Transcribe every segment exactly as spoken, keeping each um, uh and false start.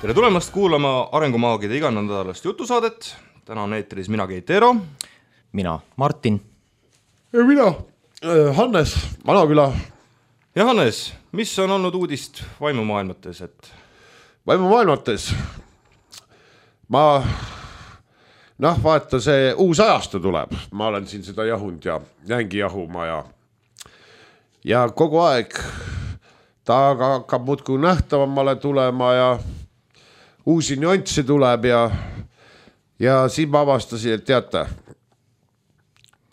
Tere tulemast kuulama Arengumaagide iganädalast jutusaadet. Täna on eetris mina Keit Eero. Mina Martin. Ja mina Hannes Manaküla. Ja Hannes, mis on olnud uudist vaimumaailmates? Et... Vaimumaailmates? Ma... Noh, vaata see uus ajastu tuleb. Ma olen siin seda jahund ja jäängi jahuma ja... Ja kogu aeg ta hakkab muudkui nähtavamale tulema ja... Uusi nüansse tuleb ja, ja siin ma avastasin, et teate,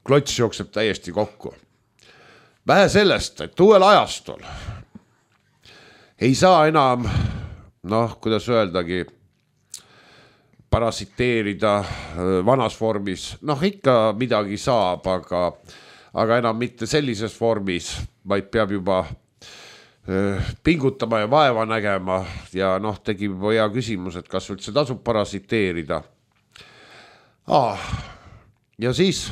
klots jookseb täiesti kokku. Vähe sellest, et uuel ajastul ei saa enam, noh, kuidas öeldagi, parasiteerida vanas vormis. Noh, ikka midagi saab, aga, aga enam mitte sellises vormis, vaid peab juba pingutama ja vaeva nägema ja noh, tegi hea küsimus, et kas üldse tasub parasiteerida. Ah, ja siis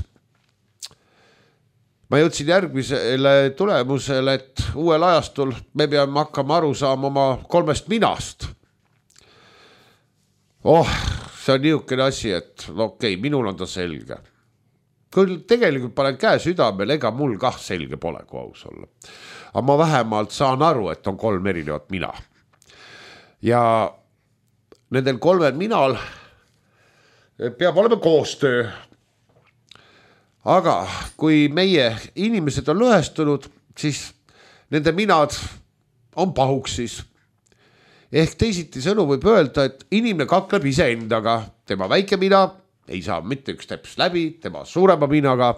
ma jõudsin järgmisele tulemusele, et uuel ajastul me peame hakkama aru saama oma kolmest minast. Oh, see on niisugune asi, et no okei, okay, minul on ta selge. Küll tegelikult panen käe südamel, ega mul kah selge pole, kui aus olla. Aga ma vähemalt saan aru, et on kolm erinevat mina. Ja nendel kolmel minal peab olema koostöö. Aga kui meie inimesed on lõhestunud, siis nende minad on pahuksis. Ehk teisiti sõnu võib öelda, et inimene kakleb ise endaga. Tema väike mina ei saa mitte üks teps läbi, tema suurema minaga.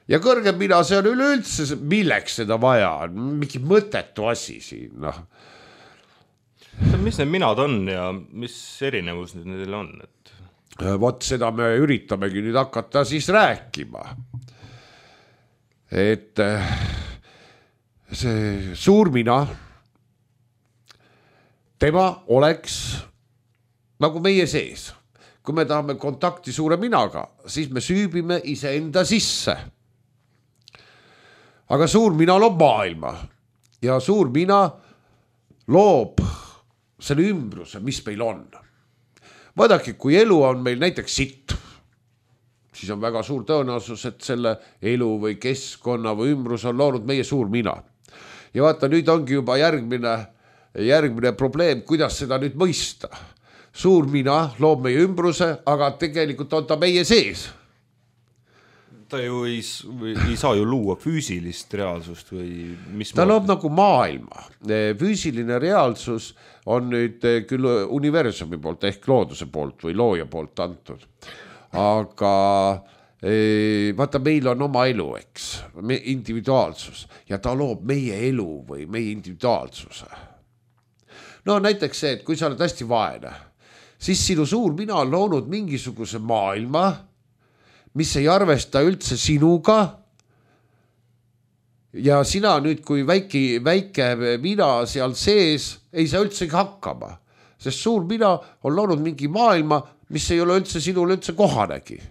Ja kõrgem mina, see on üleüldse, milleks seda vaja on, mingi mõtetu asi siin. No. Mis need minad on ja mis erinevus nüüd neil on? Et... Vot seda me üritamegi nüüd hakata siis rääkima. Et see suur mina, tema oleks nagu meie sees. Kui me tahame kontakti suure minaga, siis me süübime iseenda sisse. Aga suur mina loob maailma ja suur mina loob selle ümbruse, mis meil on. Vaadake, kui elu on meil näiteks sitt, siis on väga suur tõenäosus, et selle elu või keskkonna või ümbrus on loonud meie suur mina. Ja vaata, nüüd ongi juba järgmine, järgmine probleem, kuidas seda nüüd mõista. Suur mina loob meie ümbruse, aga tegelikult on ta meie sees. Ta ju ei, ei saa ju luua füüsilist reaalsust või mis ta loob nagu maailma. Füüsiline reaalsus on nüüd küll universumi poolt ehk looduse poolt või looja poolt antud. Aga vaata, meil on oma elu, eks, individuaalsus ja ta loob meie elu või meie individuaalsuse. No näiteks see, et kui sa oled hästi vaene, siis sinu suur mina on loonud mingisuguse maailma, mis ei arvesta üldse sinuga ja sina nüüd, kui väike, väike mina seal sees, ei saa üldse hakkama, sest suur mina on loonud mingi maailma, mis ei ole üldse sinule üldse kohanegi.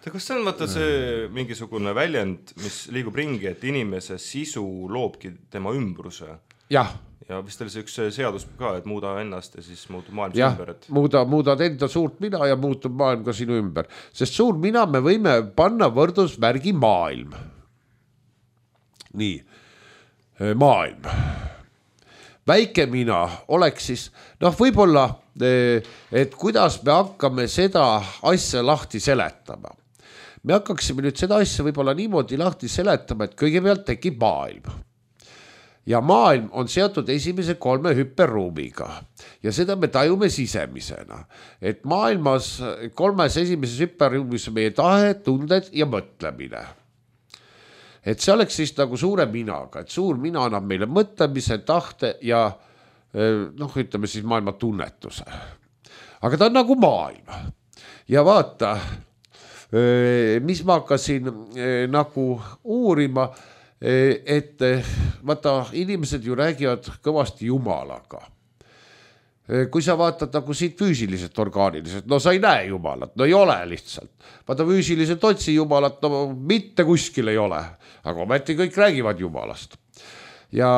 Kas see on vaata see mingisugune väljend, mis liigub ringi, et inimese sisu loobki tema ümbruse? Jah. Ja vist oli see üks seadus ka, et muuda ennast ja siis muutub maailm ja, ümber. Et... muuda, muudad enda suurt mina ja muutub maailm ka sinu ümber. Sest suur mina me võime panna võrdusmärgi maailm. Nii, maailm. Väike mina oleks siis, noh võib-olla, et kuidas me hakkame seda asja lahti seletama. Me hakkaksime nüüd seda asja võib-olla niimoodi lahti seletama, et kõigepealt tekib maailm. Ja maailm on seotud esimese kolme hüperruumiga ja seda me tajume sisemisena, et maailmas kolmes esimeses hüperruumis on meie tahe, tunded ja mõtlemine. Et see oleks siis nagu suure minaga, et suur mina annab meile mõtlemise, tahte ja noh, ütleme siis maailma tunnetuse. Aga ta on nagu maailm. Ja vaata, mis ma hakkasin nagu uurima, et vaata, inimesed ju räägivad kõvasti Jumalaga. Kui sa vaatad nagu siit füüsiliselt, orgaaniliselt, no sa ei näe Jumalat, no ei ole lihtsalt. Vaata füüsiliselt otsi Jumalat, no mitte kuskil ei ole, aga ometi kõik räägivad Jumalast. Ja,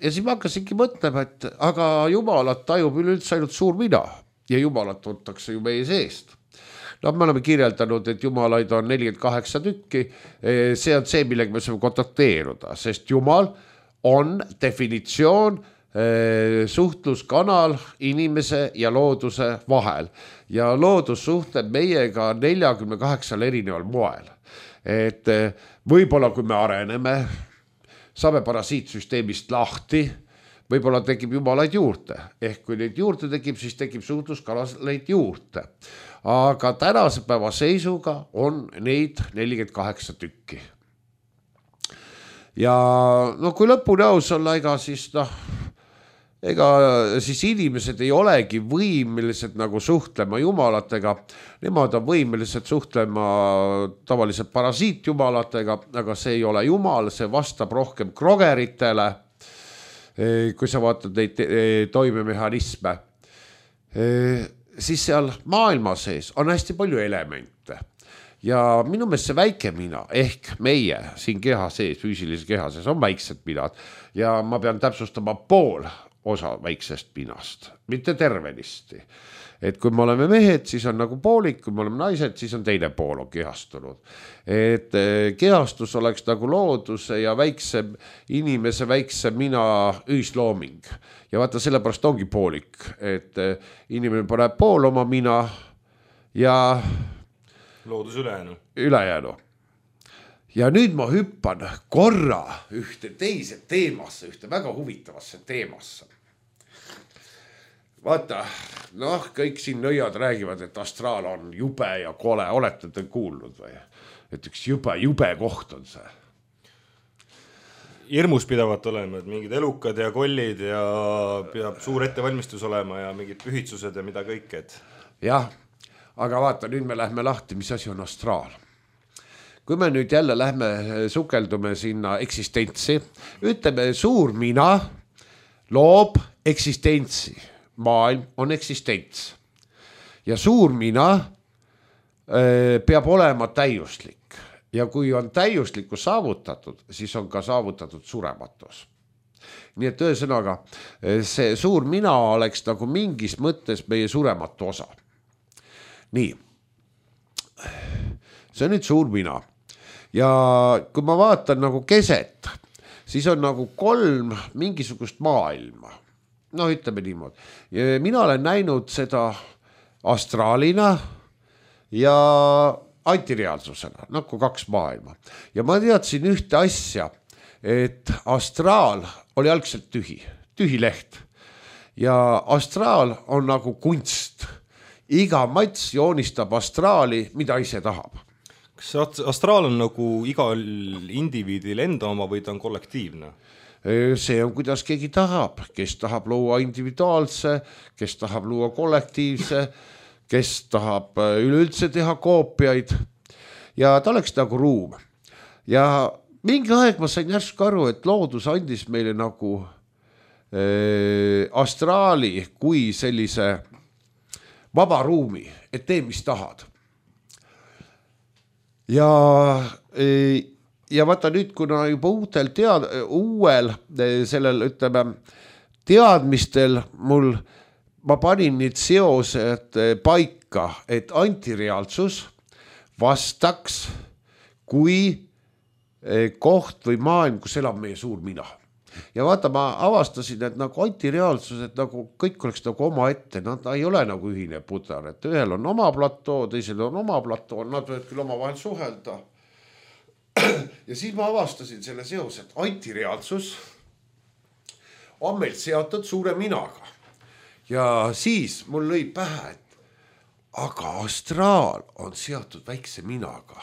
ja siis ma hakkasingi mõtlema, et aga jumalat tajub üleüldse ainult suur mina ja jumalat tuntakse ju meie seest. No me oleme kirjeldanud, et jumalaid on nelikümmend kaheksa tükki, see on see, millega me saame kontakteeruda, sest jumal on definitsioon suhtluskanal inimese ja looduse vahel ja loodus suhtleb meiega neljakümne kaheksal erineval moel. Et võib-olla kui me areneme, saame parasiitsüsteemist lahti, võib-olla tekib jumalaid juurde, ehk kui neid juurde tekib, siis tekib suhtluskanaleid juurde. Aga tänase päeva seisuga on neid nelikümmend kaheksa tükki. Ja no kui lõpuni aus olla, ega siis noh, ega siis inimesed ei olegi võimelised nagu suhtlema jumalatega, nemad on võimelised suhtlema tavaliselt parasiitjumalatega, aga see ei ole jumal, see vastab rohkem krogeritele, kui sa vaatad neid toimemehhanisme, siis seal maailma sees on hästi palju elemente. Ja minu meelest see väike mina, ehk meie siin keha sees, füüsilise keha sees on väiksed minad ja ma pean täpsustama pool osa väiksest minast, mitte tervenisti. Et kui me oleme mehed, siis on nagu poolik, kui me oleme naised, siis on teine pool on kehastunud. Et kehastus oleks nagu looduse ja väikse inimese, väikse mina ühislooming. Ja vaata, sellepärast ongi poolik, et inimene paneb pool oma mina ja loodus ülejäänu. ülejäänu. Ja nüüd ma hüppan korra ühte teise teemasse, ühte väga huvitavasse teemasse. Vaata, noh, kõik siin nõiad räägivad, et astraal on jube ja kole. Olete te kuulnud või? Et üks jube, jube koht on see. Hirmus pidavat olema, et mingid elukad ja kollid ja peab suur ettevalmistus olema ja mingid pühitsused ja mida kõik. Et... jah, aga vaata, nüüd me lähme lahti, mis asi on astraal. Kui me nüüd jälle lähme sukeldume sinna eksistentsi, ütleme suur mina loob eksistentsi. Maailm on eksistents. Ja suur mina peab olema täiuslik. Ja kui on täiuslikkus saavutatud, siis on ka saavutatud surematus. Nii et ühesõnaga, see suur mina oleks nagu mingis mõttes meie surematu osa. Nii. See on nüüd suur mina. Ja kui ma vaatan nagu keset, siis on nagu kolm mingisugust maailma. No ütleme niimoodi. Mina olen näinud seda astraalina ja antireaalsusena, nagu kaks maailma. Ja ma teadsin ühte asja, et astraal oli algselt tühi, tühi leht. Ja astraal on nagu kunst. Iga mats joonistab astraali, mida ise tahab. Kas astraal on nagu igal indiviidil enda oma või ta on kollektiivne? See on, kuidas keegi tahab, kes tahab luua individuaalse, kes tahab luua kollektiivse, kes tahab üleüldse teha koopiaid ja ta oleks nagu ruum. Ja mingi aeg ma sain järsku aru, et loodus andis meile nagu äh, astraali kui sellise vaba ruumi, et tee, mis tahad. Ja äh, Ja vaata nüüd, kuna juba uutel tead, uuel sellel, ütleme, teadmistel mul, ma panin nüüd seosed paika, et antireaalsus vastaks kui koht või maailm, kus elab meie suur mina. Ja vaata, ma avastasin, et nagu antireaalsus, et nagu kõik oleks nagu oma ette, nad ei ole nagu ühine pudar, et ühel on oma platoo, teisel on oma platoo, nad võivad küll oma vahel suhelda. Ja siis ma avastasin selle seos, et antireaalsus on meil seotud suure minaga. Ja siis mul lõi pähe, et aga astraal on seotud väikse minaga.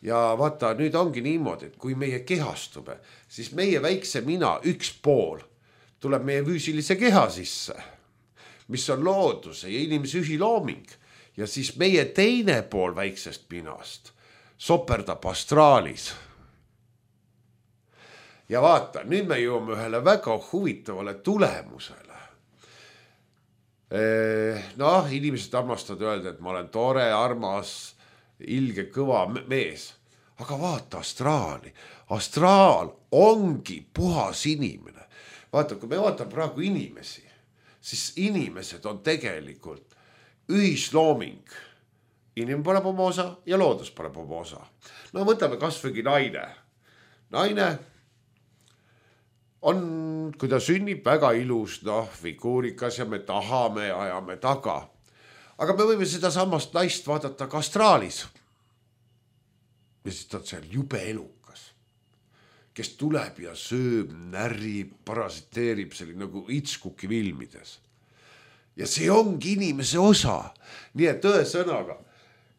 Ja vaata, nüüd ongi niimoodi, et kui meie kehastume, siis meie väikse mina üks pool tuleb meie füüsilise keha sisse, mis on looduse ja inimese ühilooming. Ja siis meie teine pool väiksest minast soperdab astraalis. Ja vaata, nüüd me jõuame ühele väga huvitavale tulemusele. Noh, inimesed armastavad öelda, et ma olen tore, armas, ilge, kõva mees. Aga vaata astraali. Astraal ongi puhas inimene. vaata, kui me vaatame praegu inimesi, siis inimesed on tegelikult ühislooming. Inimene paneb oma osa ja loodus paneb oma osa. No võtame kasvõigi naine. Naine on, kui ta sünnib, väga ilus, noh, figuurikas ja me tahame ja ajame taga. Aga me võime seda samast naist vaadata ka astraalis. Ja siis ta on seal jube elukas, kes tuleb ja sööb, närib, parasiteerib selline nagu itskuki filmides. Ja see ongi inimese osa. Nii et tõe sõnaga,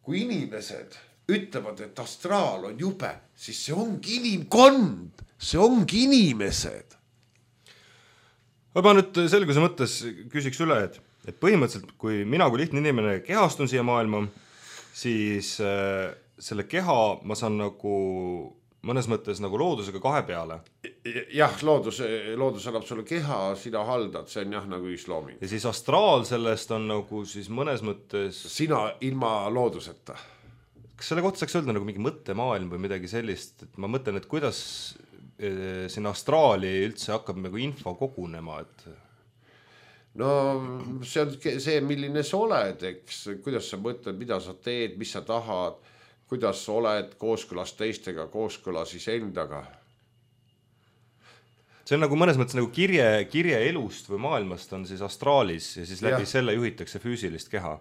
kui inimesed ütlevad, et astraal on jube, siis see ongi inimkond, see ongi inimesed. Ma nüüd selguse mõttes küsiks üle, et, et põhimõtteliselt, kui mina kui lihtne inimene kehastun siia maailma, siis äh, selle keha ma saan nagu mõnes mõttes nagu loodusega kahe peale. Jah, loodus, loodus annab sulle keha, sina haldad, see on jah nagu ühislooming. Ja siis astraal sellest on nagu siis mõnes mõttes... Sina ilma looduseta. Kas selle kohta saaks öelda nagu mingi mõttemaailm või midagi sellist, et ma mõtlen, et kuidas sinna astraali üldse hakkab nagu info kogunema, et... No see on see, milline sa oled, eks, kuidas sa mõtled, mida sa teed, mis sa tahad, kuidas sa oled kooskõlas teistega, kooskõlas isendaga. See on nagu mõnes mõttes nagu kirje, kirje elust või maailmast on siis astraalis ja siis läbi ja. Selle juhitakse füüsilist keha.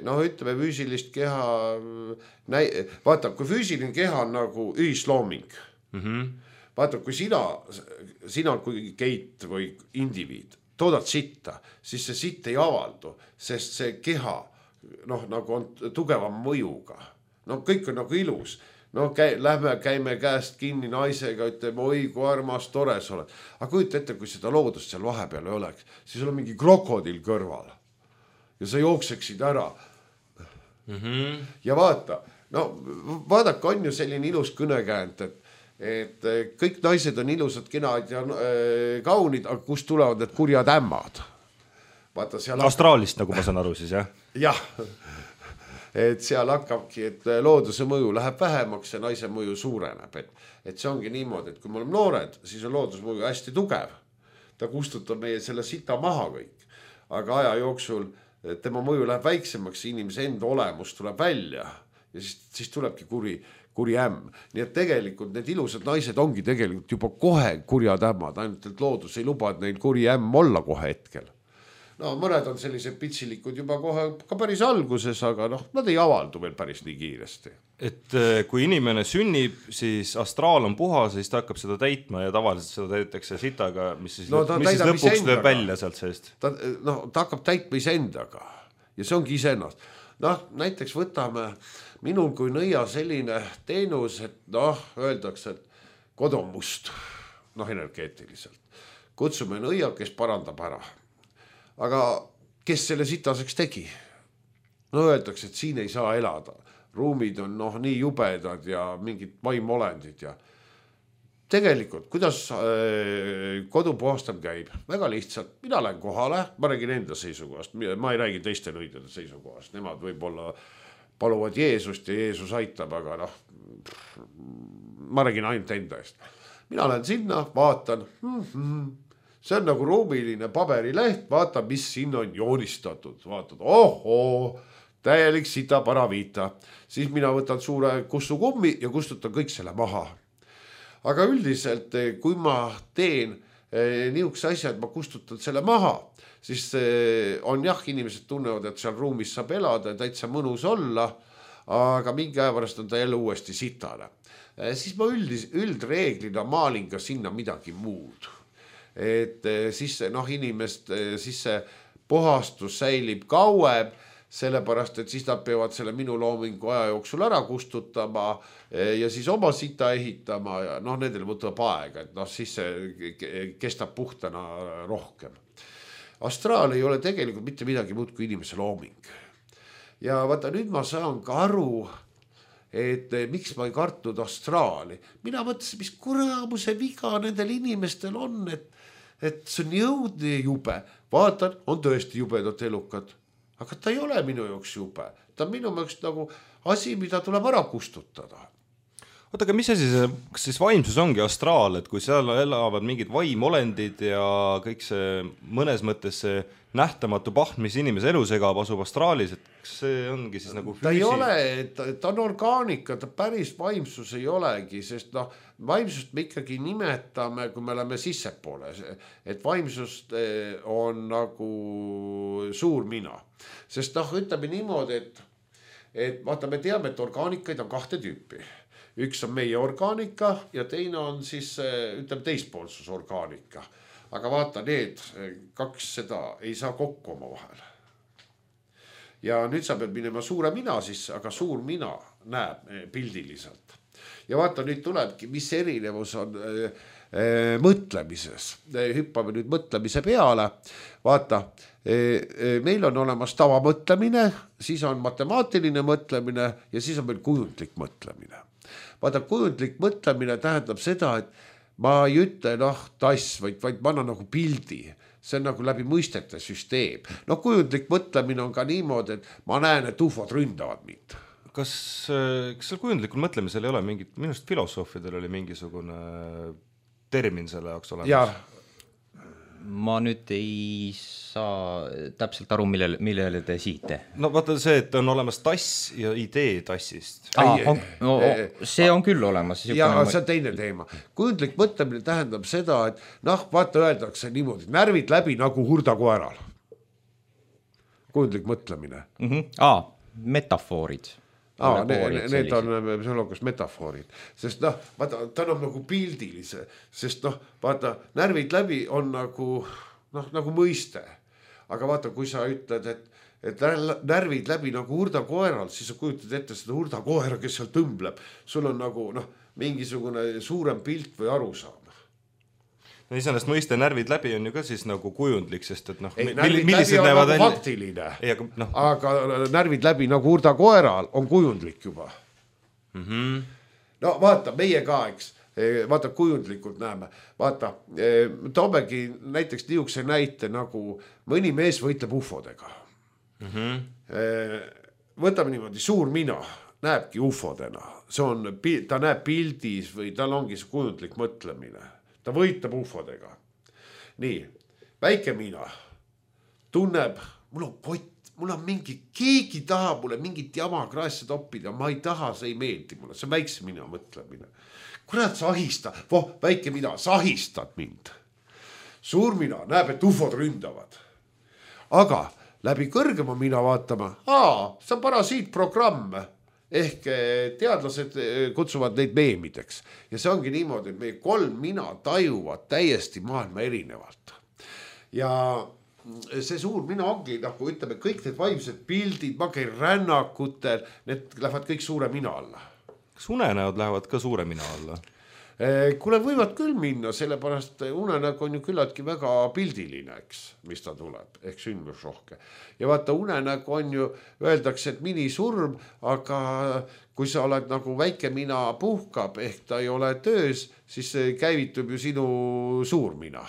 No ütleme füüsilist keha, vaata, kui füüsiline keha on nagu ühislooming. Mm-hmm. Vaata, kui sina, sina kui keit või indiviid toodad sitta, siis see sitt ei avaldu, sest see keha noh, nagu on tugevam mõjuga. No kõik on nagu ilus. No käi, lähme, käime käest kinni naisega, ütleme, oi kui armas, tore sa oled. Aga kujuta ette, kui seda loodust seal vahepeal ei oleks, siis on mingi krokodil kõrval. Ja sa jookseksid ära. Mm-hmm. Ja vaata, no vaadake, on ju selline ilus kõnekäänt, et et kõik naised on ilusad, kenad ja äh, kaunid, aga kust tulevad need kurjad ämmad? Vaata, seal astraalist, nagu ma saan aru siis, jah? Jah, et seal hakkabki, et looduse mõju läheb vähemaks ja naise mõju suureneb. Et, et see ongi niimoodi, et kui me oleme noored, siis on looduse mõju hästi tugev. Ta kustutab meie selle sita maha kõik. Aga aja jooksul tema mõju läheb väiksemaks, inimese enda olemus tuleb välja ja siis, siis tulebki kuri, kuri ämm. Nii et tegelikult need ilusad naised ongi tegelikult juba kohe kurjad ämmad, ainult et loodus ei luba neil kuri ämm olla kohe hetkel. No mõned on sellised pitsilikud juba kohe ka päris alguses, aga noh, nad ei avaldu veel päris nii kiiresti. Et kui inimene sünnib, siis astraal on puhas, siis ta hakkab seda täitma ja tavaliselt seda täidetakse sitaga, mis siis, no, mis siis lõpuks lööb välja sealt seest. Ta, no, ta hakkab täitma isendaga ja see ongi isennast. Noh, näiteks võtame minul kui nõia selline teenus, et noh, öeldakse, et kod on must, noh, energeetiliselt. Kutsume nõia, kes parandab ära. Aga kes selle sitaseks tegi? No öeldakse, et siin ei saa elada. Ruumid on noh, nii jubedad ja mingid vaimolendid ja tegelikult, kuidas äh, kodu puhastam käib? Väga lihtsalt, mina lähen kohale, ma räägin enda seisukohast, ma ei räägi teiste nõidade seisukohast, nemad võib-olla paluvad Jeesust ja Jeesus aitab, aga noh, ma räägin ainult enda eest. Mina lähen sinna, vaatan, mm-hmm. See on nagu ruumiline paberileht, vaata, mis siin on joonistatud. Vaatad, ohoo, täielik sita paraviita. Siis mina võtan suure kussukummi ja kustutan kõik selle maha. Aga üldiselt, kui ma teen niisuguse asja, et ma kustutan selle maha, siis on jah, inimesed tunnevad, et seal ruumis saab elada ja täitsa mõnus olla, aga mingi aja pärast on ta jälle uuesti sitane. Siis ma üldis, üldreeglina maalin ka sinna midagi muud. Et siis noh, inimest, siis see puhastus säilib kauem, sellepärast, et siis nad peavad selle minu loomingu aja jooksul ära kustutama ja siis oma sita ehitama ja noh, nendel võtab aega, et noh, siis see kestab puhtana rohkem. Astraal ei ole tegelikult mitte midagi muud kui inimese looming. Ja vaata, nüüd ma saan ka aru, et miks ma ei kartnud astraali. Mina mõtlesin, mis kuramuse viga nendel inimestel on, et et see on jõudne jube. Vaatan, on tõesti jubedad elukad. Aga ta ei ole minu jaoks jube. Ta on minu jaoks nagu asi, mida tuleb ära kustutada. oota, aga mis asi see, kas siis vaimsus ongi astraal, et kui seal elavad mingid vaimolendid ja kõik see mõnes mõttes see nähtamatu pahm, mis inimese elu segab, asub astraalis, et kas see ongi siis nagu füüsi... ta ei ole, ta, ta on orgaanika, ta päris vaimsus ei olegi, sest noh, vaimsust me ikkagi nimetame, kui me oleme sissepoole, et vaimsust on nagu suur mina, sest noh, ütleme niimoodi, et et vaata, me teame, et orgaanikaid on kahte tüüpi. Üks on meie orgaanika ja teine on siis, ütleme, teispoolsus orgaanika. Aga vaata, need kaks seda ei saa kokku oma vahel. Ja nüüd sa pead minema suure mina sisse, aga suur mina näeb pildiliselt. Ja vaata, nüüd tulebki, mis erinevus on äh, mõtlemises. Hüppame nüüd mõtlemise peale. Vaata, meil on olemas tavamõtlemine, siis on matemaatiline mõtlemine ja siis on meil kujundlik mõtlemine. Vaata, kujundlik mõtlemine tähendab seda, et ma ei ütle noh tass, vaid, vaid ma annan nagu pildi. See on nagu läbi mõistete süsteem. No kujundlik mõtlemine on ka niimoodi, et ma näen, et ufod ründavad mind. Kas, kas seal kujundlikul mõtlemisel ei ole mingit, minust filosoofidel oli mingisugune termin selle jaoks olemas? Jah. Ma nüüd ei saa täpselt aru, millele, millele te siite. No vaata see, et on olemas tass ja idee tassist. Aa, on, no, see on küll olemas. Ja see on teine teema. Kujundlik mõtlemine tähendab seda, et noh, vaata öeldakse niimoodi, närvid läbi nagu hurdakoeral. Kujundlik mõtlemine. Mm-hmm. Aa, metafoorid. Aa, need, need on psühholoogias metafoorid, sest noh, vaata, ta on nagu pildilise, sest noh, vaata, närvid läbi on nagu, noh, nagu mõiste. Aga vaata, kui sa ütled, et, et närvid läbi nagu hurdakoeral, siis sa kujutad ette seda hurdakoera, kes seal tõmbleb. Sul on nagu, noh, mingisugune suurem pilt või arusaam. No iseenesest mõiste närvid läbi on ju ka siis nagu kujundlik, sest et noh, ei, närvid läbi on nagu välja... faktiline, ei, aga, no. aga närvid läbi nagu hurdakoeral on kujundlik juba. Mm-hmm. No vaata, meie ka, eks, vaata kujundlikult näeme, vaata, toomegi näiteks niisuguse näite nagu mõni mees võitleb ufodega. Mm-hmm. Võtame niimoodi, suur mina näebki ufodena, see on, ta näeb pildis või tal ongi see kujundlik mõtlemine. Ta võitleb ufodega. Nii, väike mina tunneb, mul on kott, mul on mingi, keegi taha mulle mingit jama kraesse toppida, ma ei taha, see ei meeldi mulle, see on väikse mina mõtlemine. Kurat, sa ahista, voh, väike mina, sa ahistad mind. Suur mina näeb, et ufod ründavad. Aga läbi kõrgema mina vaatama, aa, see on parasiitprogramm. Ehk teadlased kutsuvad neid meemideks. Ja see ongi niimoodi, et meie kolm mina tajuvad täiesti maailma erinevalt. Ja see suur mina ongi, nagu ütleme, kõik need vaimsed pildid, ma käin rännakutel, need lähevad kõik suure mina alla. Kas unenäod lähevad ka suure mina alla? Kuule, võivad küll minna, sellepärast unenägu on ju küllaltki väga pildiline, eks, mis ta tuleb, ehk sündmusrohke. Ja vaata, unenägu on ju, öeldakse, et minisurm, aga kui sa oled nagu väike mina puhkab, ehk ta ei ole töös, siis käivitub ju sinu suur mina.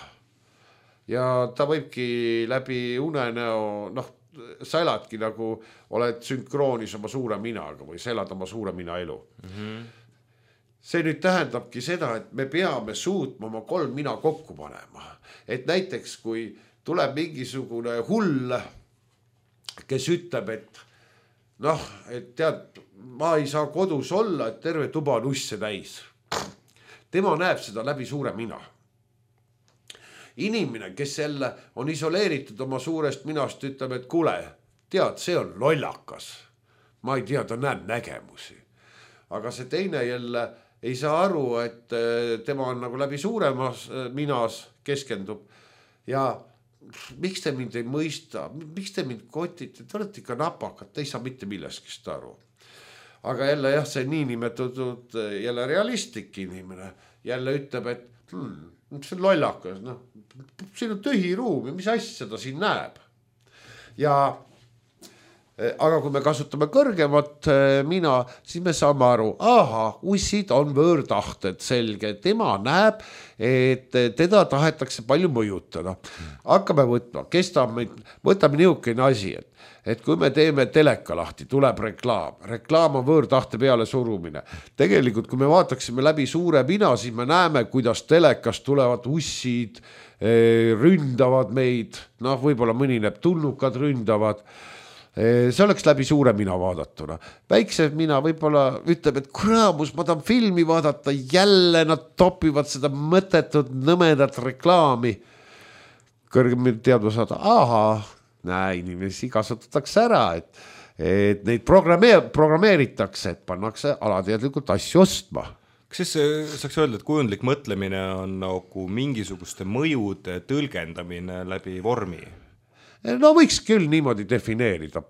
Ja ta võibki läbi unenäo, noh, sa eladki nagu, oled sünkroonis oma suure minaga või sa elad oma suure mina elu. Mm-hmm. See nüüd tähendabki seda, et me peame suutma oma kolm mina kokku panema. Et näiteks, kui tuleb mingisugune hull, kes ütleb, et noh, et tead, ma ei saa kodus olla, et terve tuba on usse täis. Tema näeb seda läbi suure mina. Inimene, kes jälle on isoleeritud oma suurest minast, ütleb, et kuule, tead, see on lollakas. Ma ei tea, ta näeb nägemusi. Aga see teine jälle ei saa aru, et tema on nagu läbi suuremas minas keskendub. Ja miks te mind ei mõista? Miks te mind kotite? Te olete ikka napakad, te ei saa mitte milleskist aru. Aga jälle jah, see niinimetatud jälle realistlik inimene jälle ütleb, et hmm, see on lollakas. No, siin on tühi ruum ja mis asja ta siin näeb. Ja aga kui me kasutame kõrgemat mina, siis me saame aru, aha, ussid on võõrtahted, selge, tema näeb, et teda tahetakse palju mõjutada. Hakkame võtma, kes ta meid, võtame niisugune asi, et, et kui me teeme teleka lahti, tuleb reklaam, reklaam on võõrtahte peale surumine. Tegelikult, kui me vaataksime läbi suure mina, siis me näeme, kuidas telekas tulevad ussid, ründavad meid, noh, võib-olla mõni näeb tulnukad ründavad. See oleks läbi suure mina vaadatuna. Väikse mina võib-olla ütleb, et kuraamus, ma tahan filmi vaadata, jälle nad topivad seda mõttetut nõmedat reklaami. Kõrgem teadma saada, aha, näe, inimesi kasutatakse ära, et, et neid programmeer, programmeeritakse, et pannakse alateadlikult asju ostma. Kas siis saaks öelda, et kujundlik mõtlemine on nagu mingisuguste mõjude tõlgendamine läbi vormi? No võiks küll niimoodi defineerida.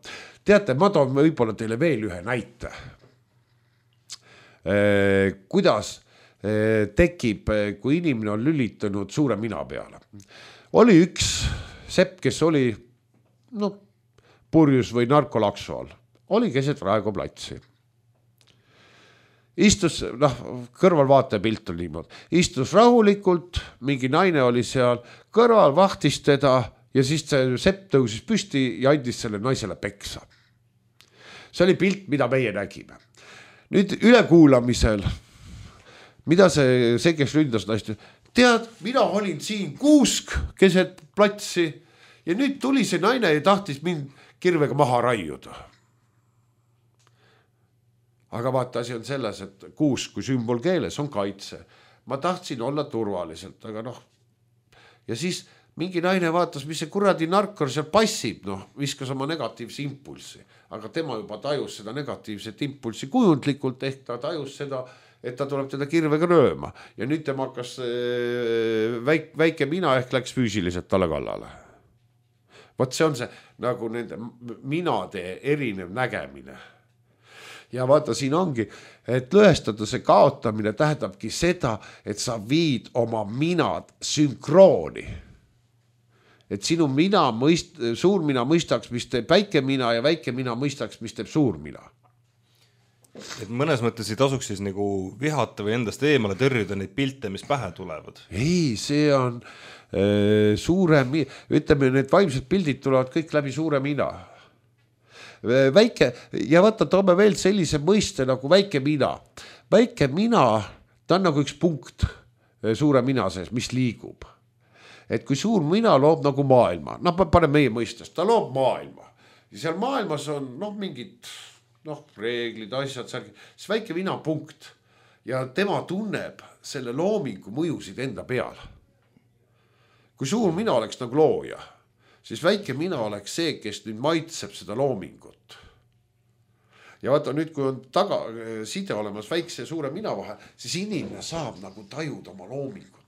Teate, ma toon võib-olla teile veel ühe näite. Kuidas tekib, kui inimene on lülitanud suure mina peale. Oli üks sepp, kes oli no, purjus või narkolaksu all. Oli keset Raekoja platsi. Istus, noh, kõrvalvaataja pilt on niimoodi. Istus rahulikult, mingi naine oli seal, kõrval vahtis teda ja siis see sepp tõusis püsti ja andis selle naisele peksa. See oli pilt, mida meie nägime. Nüüd ülekuulamisel, mida see, see kes ründas naist, tead, mina olin siin kuusk keset platsi ja nüüd tuli see naine ja tahtis mind kirvega maha raiuda. Aga vaata, asi on selles, et kuusk kui sümbol keeles on kaitse. Ma tahtsin olla turvaliselt, aga noh, ja siis mingi naine vaatas, mis see kuradi narkor seal passib, noh, viskas oma negatiivse impulsi, aga tema juba tajus seda negatiivset impulsi kujundlikult, ehk ta tajus seda, et ta tuleb teda kirvega rööma ja nüüd tema hakkas väik, väike mina ehk läks füüsiliselt talle kallale. Vot see on see nagu nende minade erinev nägemine. Ja vaata, siin ongi, et lõhestada see kaotamine tähendabki seda, et sa viid oma minad sünkrooni. Et sinu mina mõist, suur mina mõistaks, mis teeb väike mina ja väike mina mõistaks, mis teeb suur mina. Et mõnes mõttes ei tasuks siis nagu vihata või endast eemale tõrjuda neid pilte, mis pähe tulevad. Ei, see on äh, suure, ütleme, need vaimsed pildid tulevad kõik läbi suure mina. Väike, ja vaata, toome veel sellise mõiste nagu väike mina. Väike mina, ta on nagu üks punkt suure mina sees, mis liigub. Et kui suur mina loob nagu maailma, noh, pane meie mõistest, ta loob maailma. Ja seal maailmas on noh, mingid noh, reeglid, asjad, siis väike mina punkt. Ja tema tunneb selle loomingu mõjusid enda peal. Kui suur mina oleks nagu looja, siis väike mina oleks see, kes nüüd maitseb seda loomingut. Ja vaata nüüd, kui on taga side olemas väikse ja suure mina vahel, siis inimene saab nagu tajuda oma loomingut.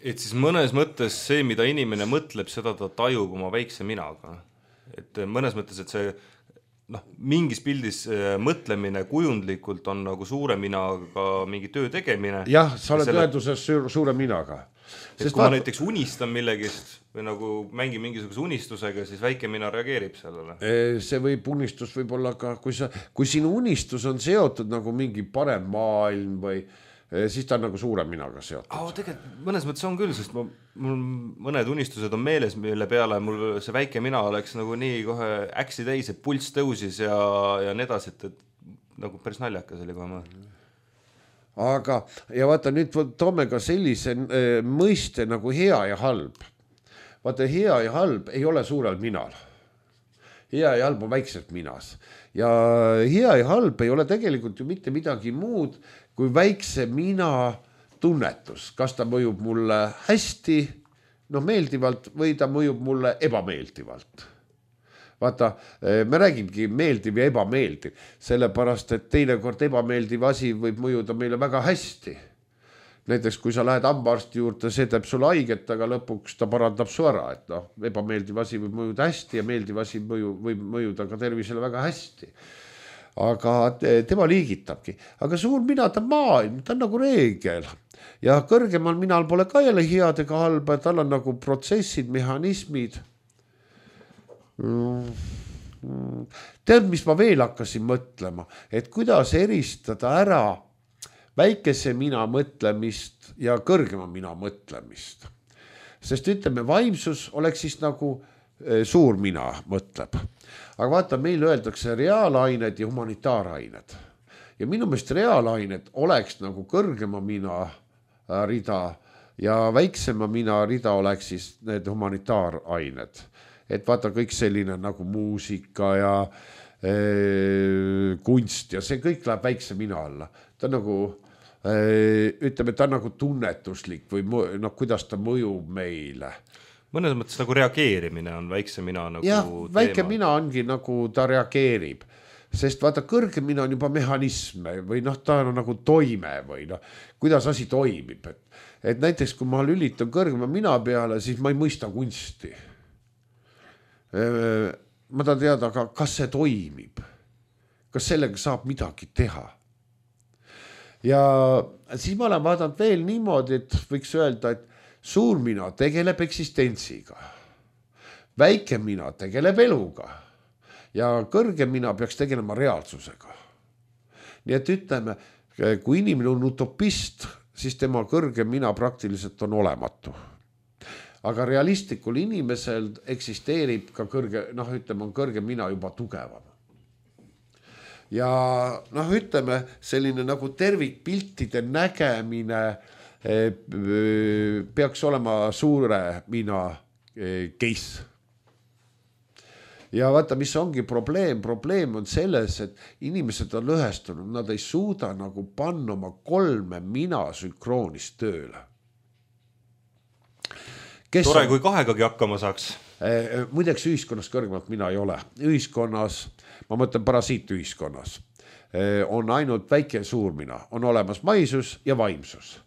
Et siis mõnes mõttes see, mida inimene mõtleb, seda ta tajub oma väikse minaga. Et mõnes mõttes, et see noh, mingis pildis mõtlemine kujundlikult on nagu suure minaga mingi töö tegemine. Jah, sa oled tõenduses selle... suure minaga. Et kui ma näiteks unistan millegist või nagu mängin mingisuguse unistusega, siis väike mina reageerib sellele. See võib unistus võib olla ka, kui, sa, kui sinu unistus on seotud nagu mingi parem maailm või siis ta on nagu suure minaga seotud. Oh, tegelikult mõnes mõttes on küll, sest ma, mul mõned unistused on meeles, mille peale mul see väike mina oleks nagu nii kohe äksi täis, et pulss tõusis ja, ja nii edasi, et, et nagu päris naljakas oli kohe mõne. Aga, ja vaata, nüüd toome ka sellise äh, mõiste nagu hea ja halb. Vaata, hea ja halb ei ole suurel minal. Hea ja halb on väikselt minas. Ja hea ja halb ei ole tegelikult ju mitte midagi muud, kui väikse mina tunnetus. Kas ta mõjub mulle hästi, noh, meeldivalt või ta mõjub mulle ebameeldivalt. Vaata, me räägimegi meeldiv ja ebameeldiv, sellepärast, et teinekord ebameeldiv asi võib mõjuda meile väga hästi. Näiteks, kui sa lähed hambaarsti juurde, see teeb sulle haiget, aga lõpuks ta parandab su ära, et noh, ebameeldiv asi võib mõjuda hästi ja meeldiv asi mõju, võib mõjuda ka tervisele väga hästi. aga tema liigitabki, aga suur mina, ta on maailm, ta on nagu reegel ja kõrgemal minal pole ka jälle head ega halba, tal on nagu protsessid, mehhanismid. Tead, mis ma veel hakkasin mõtlema, et kuidas eristada ära väikese mina mõtlemist ja kõrgema mina mõtlemist. Sest ütleme, vaimsus oleks siis nagu suur mina mõtleb. Aga vaata, meil öeldakse reaalained ja humanitaarained. Ja minu meelest reaalained oleks nagu kõrgema mina rida ja väiksema mina rida oleks siis need humanitaarained. Et vaata kõik selline nagu muusika ja e, kunst ja see kõik läheb väikse mina alla. Ta nagu, e, ütleme, ta on nagu tunnetuslik või no, kuidas ta mõjub meile. Mõnes mõttes nagu reageerimine on väikse mina nagu ja, teema. Väike mina ongi nagu ta reageerib, sest vaata kõrge mina on juba mehhanism või noh, ta on nagu toime või noh, kuidas asi toimib. Et, et näiteks kui ma lülitan kõrgema mina peale, siis ma ei mõista kunsti. Ma tahan teada, aga kas see toimib? Kas sellega saab midagi teha? Ja siis ma olen vaadanud veel niimoodi, et võiks öelda, et suur mina tegeleb eksistentsiga, väike mina tegeleb eluga ja kõrge mina peaks tegelema reaalsusega. Nii et ütleme, kui inimene on utopist, siis tema kõrge mina praktiliselt on olematu. Aga realistlikul inimesel eksisteerib ka kõrge, noh ütleme, on kõrge mina juba tugevam. Ja noh ütleme, selline nagu tervikpiltide nägemine peaks olema suure mina case. Ja vaata, mis ongi probleem, probleem on selles, et inimesed on lõhestunud, nad ei suuda nagu panna oma kolme mina sünkroonis tööle. Kes Tore, on... kui kahegagi hakkama saaks. Muideks ühiskonnas kõrgemalt mina ei ole. Ühiskonnas, ma mõtlen parasiitühiskonnas, on ainult väike suur mina, on olemas maisus ja vaimsus.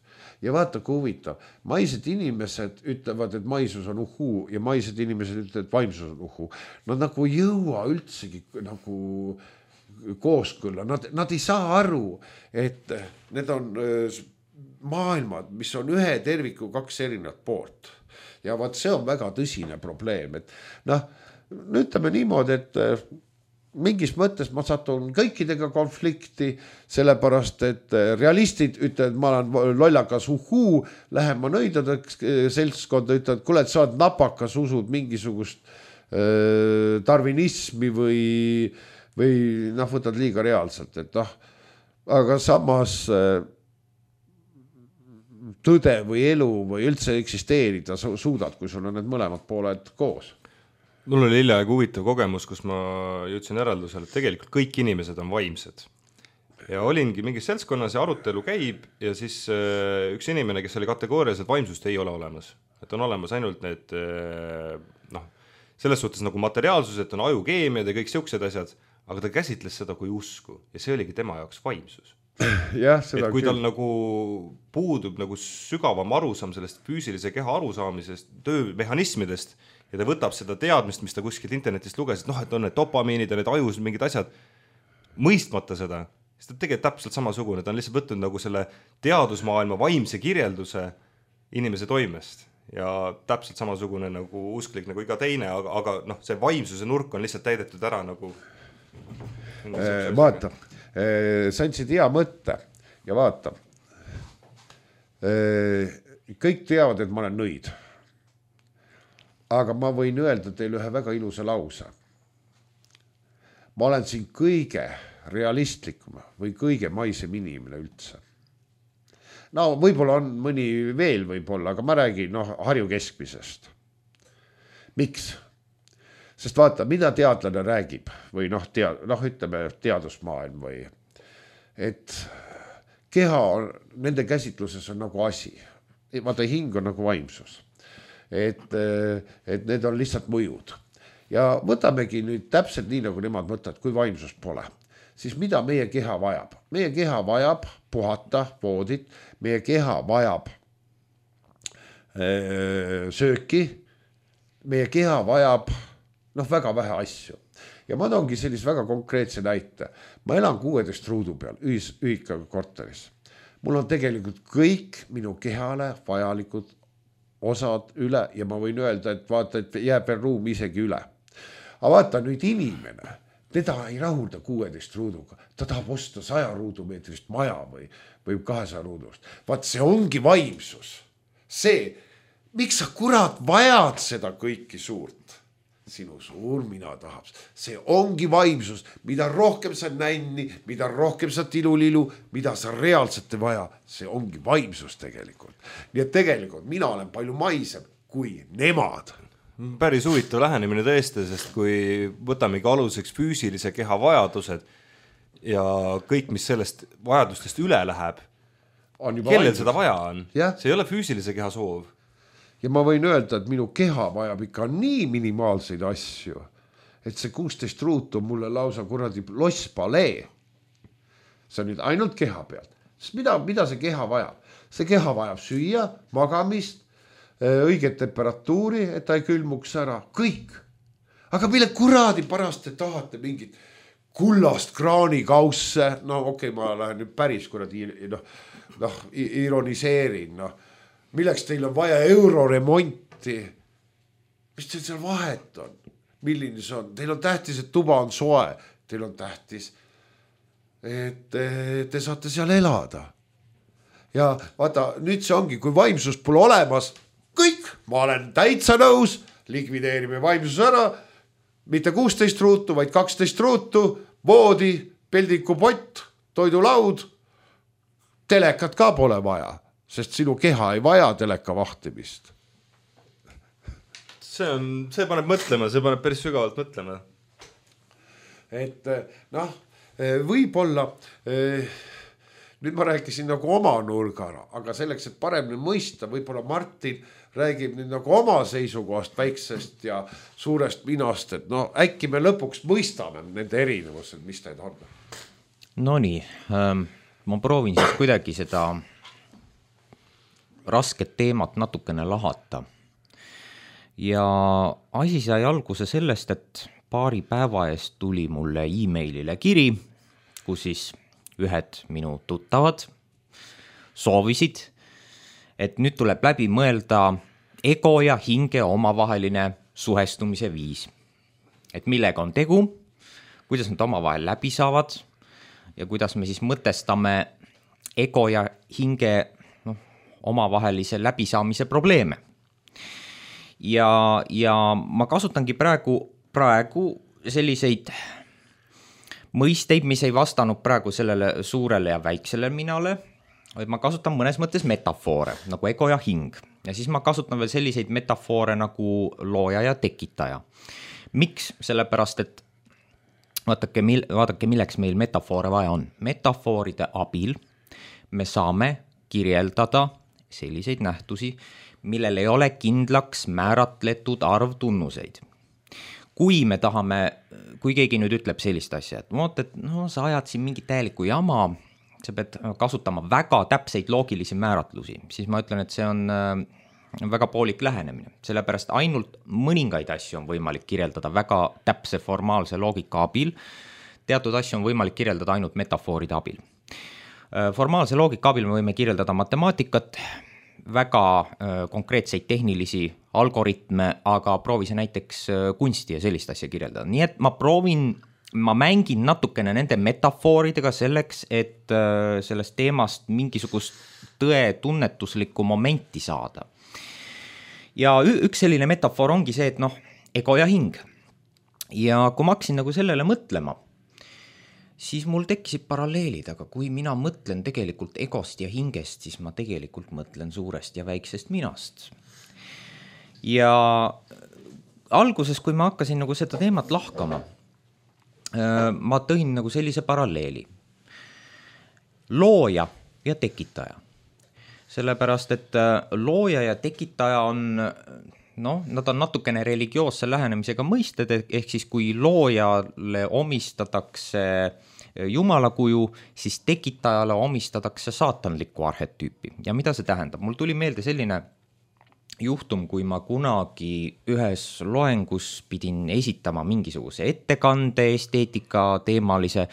Ja vaata, kui huvitav, maised inimesed ütlevad, et maisus on uhuu ja maised inimesed ütlevad, et vaimsus on uhuu. Nad nagu jõua üldsegi nagu kooskõlla. Nad, nad ei saa aru, et need on maailmad, mis on ühe terviku kaks erinevat poolt. Ja vaat see on väga tõsine probleem. Et noh, ütleme niimoodi, et mingis mõttes ma satun kõikidega konflikti, sellepärast, et realistid ütlevad, ma olen lollakas uhuu, lähen ma nõidadeks seltskonda, ütlevad, kuule, et sa oled napakas, usud mingisugust äh, tarvinismi või, või noh, võtad liiga reaalselt, et noh, aga samas äh, tõde või elu või üldse eksisteerida suudad, kui sul on need mõlemad pooled koos. Mul oli hiljaaegu huvitav kogemus, kus ma jõudsin järeldusele, et tegelikult kõik inimesed on vaimsed. Ja olingi mingis seltskonnas ja arutelu käib ja siis üks inimene, kes oli kategoorias, et vaimsust ei ole olemas. Et on olemas ainult need, noh, selles suhtes nagu materiaalsus, et on ajukeemiad ja kõik siuksed asjad, aga ta käsitles seda kui usku ja see oligi tema jaoks vaimsus. Ja, seda et kui tal nagu puudub nagu sügavam arusaam sellest füüsilise keha arusaamisest, töömehhanismidest, ja ta võtab seda teadmist, mis ta kuskilt internetist luges, et noh, et on need dopamiinid ja need ajus mingid asjad, mõistmata seda, siis ta tegelikult täpselt samasugune, ta on lihtsalt võtnud nagu selle teadusmaailma vaimse kirjelduse inimese toimest ja täpselt samasugune nagu usklik nagu iga teine, aga, aga noh, see vaimsuse nurk on lihtsalt täidetud ära nagu e, vaata, e, sa andsid hea mõtte ja vaata e, kõik teavad, et ma olen nõid. Aga ma võin öelda teile ühe väga ilusa lause. Ma olen siin kõige realistlikum või kõige maisem inimene üldse. No võib-olla on mõni veel võib-olla, aga ma räägin noh, Harju keskmisest. Miks? Sest vaata, mida teadlane räägib või noh, tead, noh ütleme teadusmaailm või et keha on, nende käsitluses on nagu asi. Vaata, hing on nagu vaimsus. Et, et need on lihtsalt mõjud. Ja võtamegi nüüd täpselt nii, nagu nemad mõtlevad, kui vaimsust pole. Siis mida meie keha vajab? Meie keha vajab puhata, voodit, meie keha vajab öö, sööki, meie keha vajab noh, väga vähe asju. ja ma toongi sellise väga konkreetse näite. Ma elan kuueteist ruudu peal ühis, ühikaga korteris. Mul on tegelikult kõik minu kehale vajalikud osad üle ja ma võin öelda, et vaata, et jääb veel ruum isegi üle. Aga vaata nüüd inimene, teda ei rahulda kuueteist ruuduga, ta tahab osta saja ruudumeetrist maja või, või kahesaja ruudust. Vaat see ongi vaimsus. See, miks sa kurat vajad seda kõiki suurt? Sinu suur mina tahab. See ongi vaimsus, mida rohkem sa nänni, mida rohkem sa tilulilu, mida sa reaalselt ei vaja, see ongi vaimsus tegelikult. Nii et tegelikult mina olen palju maisem kui nemad. Päris huvitav lähenemine tõesti, sest kui võtamegi aluseks füüsilise keha vajadused ja kõik, mis sellest vajadustest üle läheb, kellel vaimsus. Seda vaja on? Ja? See ei ole füüsilise keha soov. Ja ma võin öelda, et minu keha vajab ikka nii minimaalseid asju, et see kuusteist ruutu mulle lausa kuradi losspalee. See on nüüd ainult keha pealt. Sest mida, mida see keha vajab? See keha vajab süüa, magamist, õiget temperatuuri, et ta ei külmuks ära. Kõik. Aga mille kuradi parast te tahate mingit kullast kraanikausse? No okei, okay, ma lähen nüüd päris kuradi no, no, ironiseerin, noh. Milleks teil on vaja euroremonti? Mis teil seal vahet on? Milline see on? Teil on tähtis, et tuba on soe. Teil on tähtis, et te saate seal elada. Ja vaata, nüüd see ongi, kui vaimsus pole olemas, kõik, ma olen täitsa nõus, likvideerime vaimsus ära, mitte kuusteist ruutu, vaid kaksteist ruutu, voodi, peldikupott, toidulaud, telekat ka pole vaja. Sest sinu keha ei vaja teleka vahtimist. See on, see paneb mõtlema, see paneb päris sügavalt mõtlema. Et noh, võib-olla, nüüd ma rääkisin nagu oma nurgara, aga selleks, et paremini mõista, võib-olla Martin räägib nüüd nagu oma seisukohast väiksest ja suurest minast, et no äkki me lõpuks mõistame nende erinevused, mis need on. No nii, ähm, ma proovin siis kuidagi seda rasket teemat natukene lahata. Ja asi sai alguse sellest, et paari päeva eest tuli mulle e-mailile kiri, kus siis ühed minu tuttavad soovisid, et nüüd tuleb läbi mõelda ego ja hinge omavaheline suhestumise viis. Et millega on tegu, kuidas nad omavahel läbi saavad ja kuidas me siis mõtestame ego ja hinge omavahelise läbisaamise probleeme. Ja, ja ma kasutangi praegu, praegu selliseid mõisteid, mis ei vastanud praegu sellele suurele ja väiksele minale, vaid ma kasutan mõnes mõttes metafoore, nagu ego ja hing. Ja siis ma kasutan veel selliseid metafoore nagu looja ja tekitaja. Miks? Sellepärast, et vaadake, mil, vaadake milleks meil metafoore vaja on. Metafooride abil me saame kirjeldada selliseid nähtusi, millel ei ole kindlaks määratletud arv tunnuseid. Kui me tahame, kui keegi nüüd ütleb sellist asja, et vaata, et no, sa ajad siin mingit täielikku jama, sa pead kasutama väga täpseid loogilisi määratlusi, siis ma ütlen, et see on väga poolik lähenemine. Sellepärast ainult mõningaid asju on võimalik kirjeldada väga täpse formaalse loogika abil, teatud asju on võimalik kirjeldada ainult metafooride abil. Formaalse loogika abil me võime kirjeldada matemaatikat, väga konkreetseid tehnilisi algoritme, aga proovise näiteks kunsti ja sellist asja kirjeldada. Nii et ma proovin, ma mängin natukene nende metafooridega selleks, et sellest teemast mingisugust tõe tunnetuslikku momenti saada. Ja üks selline metafoor ongi see, et noh, ego ja hing. Ja kui ma hakkasin nagu sellele mõtlema, siis mul tekkisid paralleelid, aga kui mina mõtlen tegelikult egost ja hingest, siis ma tegelikult mõtlen suurest ja väiksest minast. Ja alguses, kui ma hakkasin nagu seda teemat lahkama, ma tõin nagu sellise paralleeli. Looja ja tekitaja. Sellepärast, et looja ja tekitaja on, noh, nad on natukene religioosse lähenemisega mõisted, ehk siis kui loojale omistatakse Jumala kuju, siis tekitajale omistatakse saatanlikku arhetüüpi. Ja mida see tähendab? Mul tuli meelde selline juhtum, kui ma kunagi ühes loengus pidin esitama mingisuguse ettekande esteetika teemalise,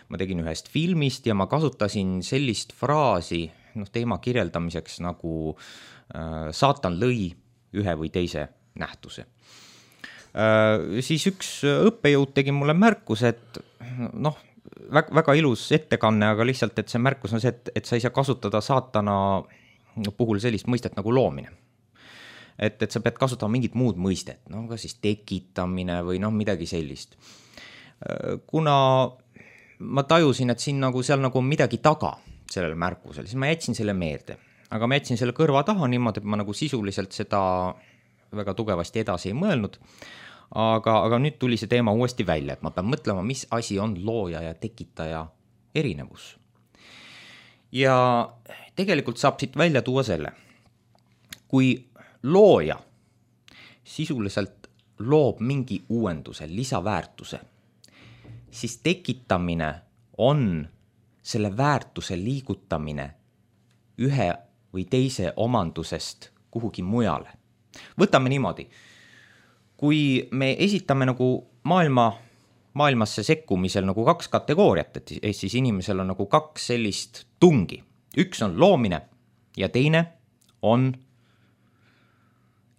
ma tegin ühest filmist ja ma kasutasin sellist fraasi noh, teema kirjeldamiseks nagu äh, saatan lõi ühe või teise nähtuse. Äh, siis üks õppejõud tegi mulle märkus, et noh, väga, väga ilus ettekanne, aga lihtsalt, et see märkus on see, et, et sa ei saa kasutada saatana puhul sellist mõistet nagu loomine. Et, et sa pead kasutama mingit muud mõistet, no ka siis tekitamine või noh, midagi sellist. Kuna ma tajusin, et siin nagu seal nagu midagi taga sellele märkusele, siis ma jätsin selle meelde. Aga ma jätsin selle kõrva taha niimoodi, et ma nagu sisuliselt seda väga tugevasti edasi ei mõelnud. Aga, aga nüüd tuli see teema uuesti välja, et ma pean mõtlema, mis asi on looja ja tekitaja erinevus. Ja tegelikult saab siit välja tuua selle, kui looja sisuliselt loob mingi uuenduse, lisaväärtuse, siis tekitamine on selle väärtuse liigutamine ühe või teise omandusest kuhugi mujale. Võtame niimoodi, kui me esitame nagu maailma, maailmasse sekkumisel nagu kaks kategooriat, et siis inimesel on nagu kaks sellist tungi. Üks on loomine ja teine on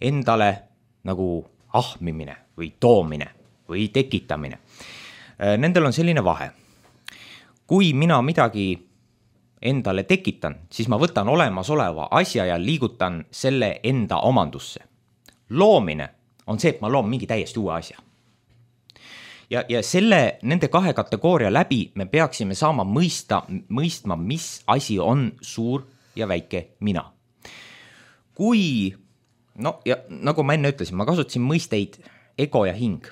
endale nagu ahmimine või toomine või tekitamine. Nendel on selline vahe. Kui mina midagi endale tekitan, siis ma võtan olemasoleva asja ja liigutan selle enda omandusse. Loomine on see, et ma loon mingi täiesti uue asja. Ja, ja selle, nende kahe kategooria läbi me peaksime saama mõista, mõistma, mis asi on suur ja väike mina. Kui no ja nagu ma enne ütlesin, ma kasutasin mõisteid ego ja hing.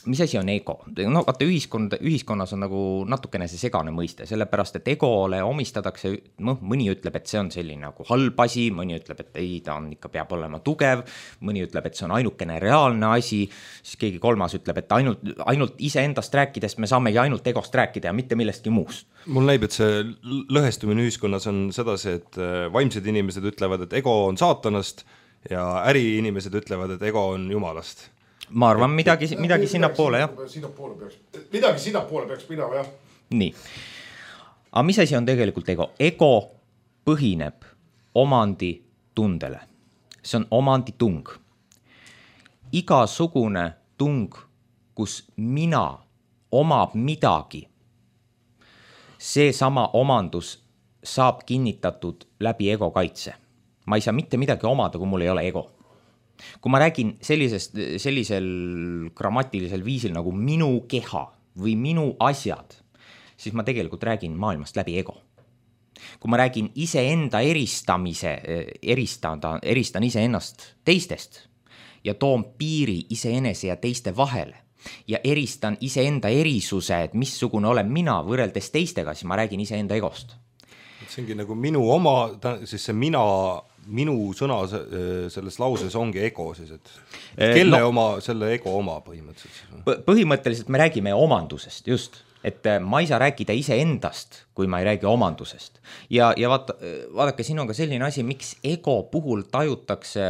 Mis asi on ego? No vaata, ühiskond, ühiskonnas on nagu natukene see segane mõiste, sellepärast, et egole omistadakse, mõni ütleb, et see on selline nagu halb asi, mõni ütleb, et ei, ta on ikka peab olema tugev, mõni ütleb, et see on ainukene reaalne asi, siis keegi kolmas ütleb, et ainult, ainult iseendast rääkides me saamegi ainult egost rääkida ja mitte millestki muust. Mul näib, et see lõhestumine ühiskonnas on sedasi, et vaimsed inimesed ütlevad, et ego on saatanast ja äriinimesed ütlevad, et ego on jumalast. Ma arvan, midagi, midagi sinna poole, jah. Sinna poole peaks, midagi sinna poole peaks minema, jah. Nii. Aga mis asi on tegelikult ego? Ego põhineb omandi tundele. See on omandi tung. Igasugune tung, kus mina omab midagi, see sama omandus saab kinnitatud läbi ego kaitse. Ma ei saa mitte midagi omada, kui mul ei ole ego. Kui ma räägin sellisest, sellisel grammatilisel viisil nagu minu keha või minu asjad, siis ma tegelikult räägin maailmast läbi ego. Kui ma räägin iseenda eristamise, eristada, eristan iseennast teistest ja toon piiri iseenese ja teiste vahele ja eristan iseenda erisuse, et missugune olen mina võrreldes teistega, siis ma räägin iseenda egost. See ongi nagu minu oma, siis see mina, minu sõna selles lauses ongi ego siis, et kelle no, oma, selle ego oma põhimõtteliselt? Põhimõtteliselt me räägime omandusest, just. Et ma ei saa rääkida iseendast, kui ma ei räägi omandusest. Ja, ja vaata, vaadake, siin on ka selline asi, miks ego puhul tajutakse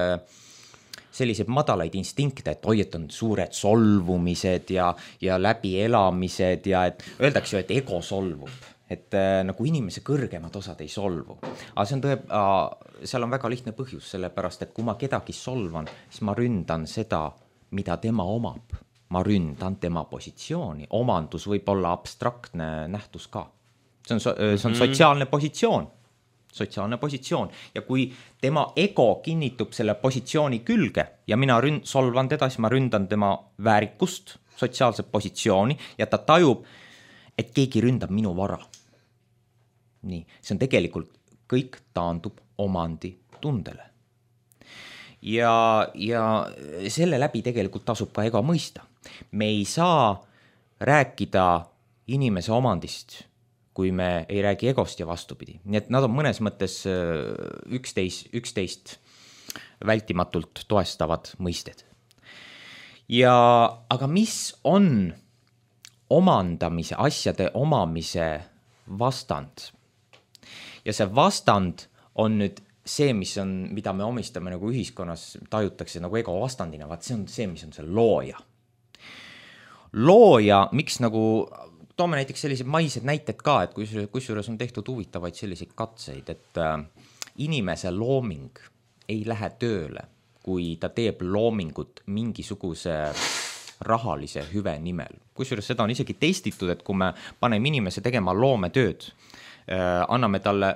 sellised madalaid instinkte, et oi, et on suured solvumised ja, ja läbielamised ja et öeldakse ju, et ego solvub. Et äh, nagu inimese kõrgemad osad ei solvu. Aga see on tõe, äh, seal on väga lihtne põhjus, sellepärast, et kui ma kedagi solvan, siis ma ründan seda, mida tema omab. Ma ründan tema positsiooni. Omandus võib olla abstraktne nähtus ka. See on, see on sotsiaalne positsioon. Sotsiaalne positsioon. Ja kui tema ego kinnitub selle positsiooni külge ja mina ründ, solvan teda, siis ma ründan tema väärikust, sotsiaalset positsiooni ja ta tajub, et keegi ründab minu vara. Nii, see on tegelikult, kõik taandub omandi tundele. Ja, ja selle läbi tegelikult tasub ka ego mõista. Me ei saa rääkida inimese omandist, kui me ei räägi egost ja vastupidi. Nii et nad on mõnes mõttes üksteist, üksteist vältimatult toestavad mõisted. Ja, aga mis on omandamise, asjade omamise vastand? Ja see vastand on nüüd see, mis on, mida me omistame nagu ühiskonnas, tajutakse nagu ego vastandina, vaat see on see, mis on see looja. Looja, miks nagu, toome näiteks sellised maised näited ka, et kus, kusjuures on tehtud huvitavaid selliseid katseid, et äh, inimese looming ei lähe tööle, kui ta teeb loomingut mingisuguse rahalise hüve nimel. Kusjuures seda on isegi testitud, et kui me paneme inimese tegema loometööd, äh, anname talle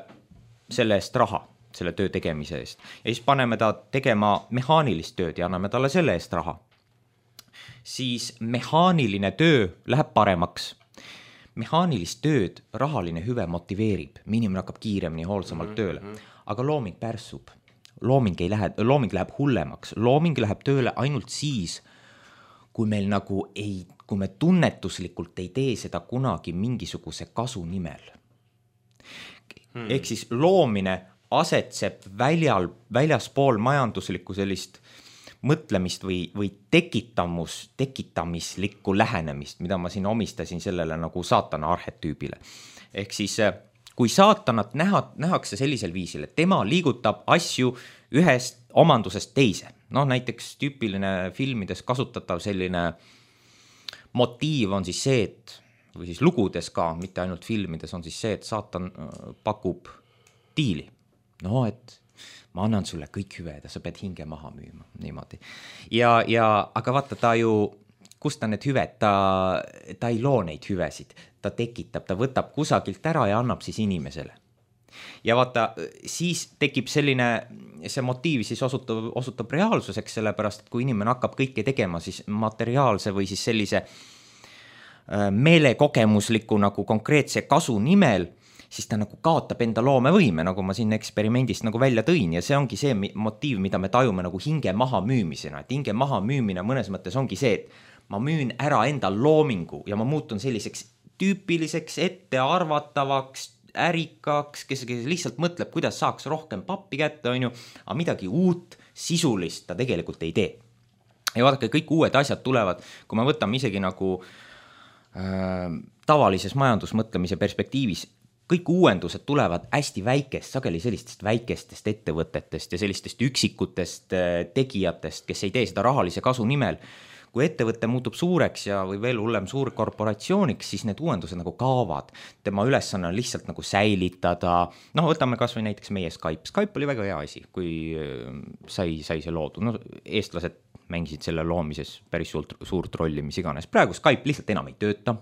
selle eest raha, selle töö tegemise eest, ja siis paneme ta tegema mehaanilist tööd ja anname talle selle eest raha, siis mehaaniline töö läheb paremaks. Mehaanilist tööd rahaline hüve motiveerib, inimene hakkab kiiremini hoolsamalt tööle, aga looming pärsub. Looming, ei lähe, looming läheb hullemaks, looming läheb tööle ainult siis, kui meil nagu ei, kui me tunnetuslikult ei tee seda kunagi mingisuguse kasu nimel. Hmm. Ehk siis loomine asetseb väljal, väljaspool majanduslikku sellist mõtlemist või, või tekitamus, tekitamislikku lähenemist, mida ma siin omistasin sellele nagu saatana arhetüübile. Ehk siis kui saatanat näha, nähakse sellisel viisil, et tema liigutab asju ühest omandusest teise. No näiteks tüüpiline filmides kasutatav selline motiiv on siis see, et, või siis lugudes ka, mitte ainult filmides, on siis see, et saatan pakub diili. No, et ma annan sulle kõik hüved ja sa pead hinge maha müüma, niimoodi. Ja, ja, aga vaata, ta ju, kust ta need hüved, ta, ta ei loo neid hüvesid, ta tekitab, ta võtab kusagilt ära ja annab siis inimesele. Ja vaata, siis tekib selline, see motiiv siis osutab, osutab reaalsuseks, sellepärast, et kui inimene hakkab kõike tegema, siis materiaalse või siis sellise meelekogemusliku nagu konkreetse kasu nimel, siis ta nagu kaotab enda loomevõime, nagu ma siin eksperimendist nagu välja tõin, ja see ongi see motiiv, mida me tajume nagu hinge maha müümisena, et hinge maha müümine mõnes mõttes ongi see, et ma müün ära enda loomingu ja ma muutun selliseks tüüpiliseks, ettearvatavaks, ärikaks, kes, kes lihtsalt mõtleb, kuidas saaks rohkem pappi kätte, on ju, aga midagi uut, sisulist ta tegelikult ei tee. Ja vaadake, kõik uued asjad tulevad, kui me võtame isegi nagu äh, tavalises majandusmõtlemise perspektiivis, kõik uuendused tulevad hästi väikest, sageli sellistest väikestest ettevõtetest ja sellistest üksikutest tegijatest, kes ei tee seda rahalise kasu nimel. Kui ettevõte muutub suureks ja või veel hullem suur korporatsiooniks, siis need uuendused nagu kaovad. Tema ülesanne on lihtsalt nagu säilitada. Noh, võtame kas või näiteks meie Skype. Skype oli väga hea asi, kui sai, sai see loodu. No, eestlased mängisid selle loomises päris suurt, suurt rolli, mis iganes. Praegu Skype lihtsalt enam ei tööta.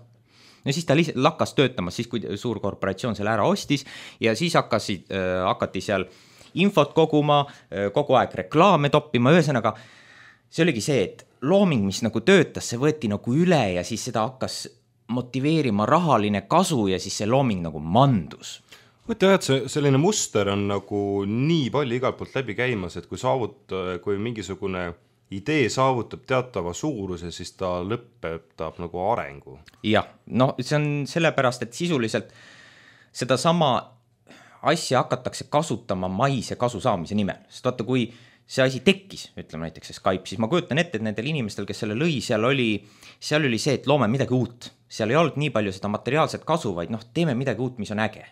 Ja siis ta lihtsalt lakkas töötamas, siis kui suur korporatsioon selle ära ostis ja siis hakkasid, äh, hakati seal infot koguma, äh, kogu aeg reklaame toppima, ühesõnaga see oligi see, et looming, mis nagu töötas, see võeti nagu üle ja siis seda hakkas motiveerima rahaline kasu ja siis see looming nagu mandus. Võtta jah, et see, selline muster on nagu nii palju igalt poolt läbi käimas, et kui saavut, kui mingisugune idee saavutab teatava suuruse, siis ta lõpetab nagu arengu. Jah, no see on sellepärast, et sisuliselt seda sama asja hakatakse kasutama maise kasu saamise nimel. Sest vaata, kui see asi tekkis, ütleme näiteks see Skype, siis ma kujutan ette, et nendel inimestel, kes selle lõi, seal oli, seal oli see, et loome midagi uut. Seal ei olnud nii palju seda materiaalset kasu, vaid noh, teeme midagi uut, mis on äge.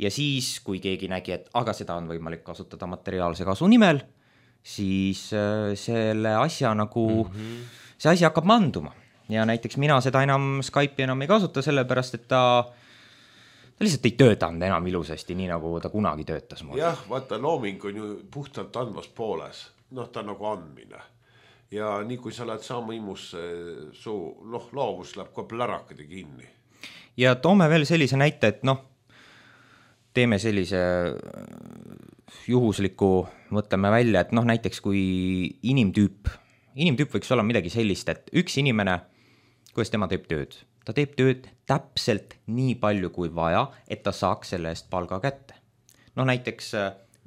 Ja siis, kui keegi nägi, et aga seda on võimalik kasutada materiaalse kasu nimel, siis selle asja nagu, mm-hmm. see asi hakkab manduma. Ja näiteks mina seda enam Skype'i enam ei kasuta, sellepärast, et ta, ta lihtsalt ei töötanud enam ilusasti, nii nagu ta kunagi töötas. Jah, vaata, looming on ju puhtalt andvas pooles. Noh, ta on nagu andmine. Ja nii kui sa lähed saama imusse, su noh, loovus läheb ka plärakade kinni. Ja toome veel sellise näite, et noh, teeme sellise juhusliku, mõtleme välja, et noh, näiteks kui inimtüüp, inimtüüp võiks olla midagi sellist, et üks inimene, kuidas tema teeb tööd? Ta teeb tööd täpselt nii palju kui vaja, et ta saaks selle eest palga kätte. No näiteks,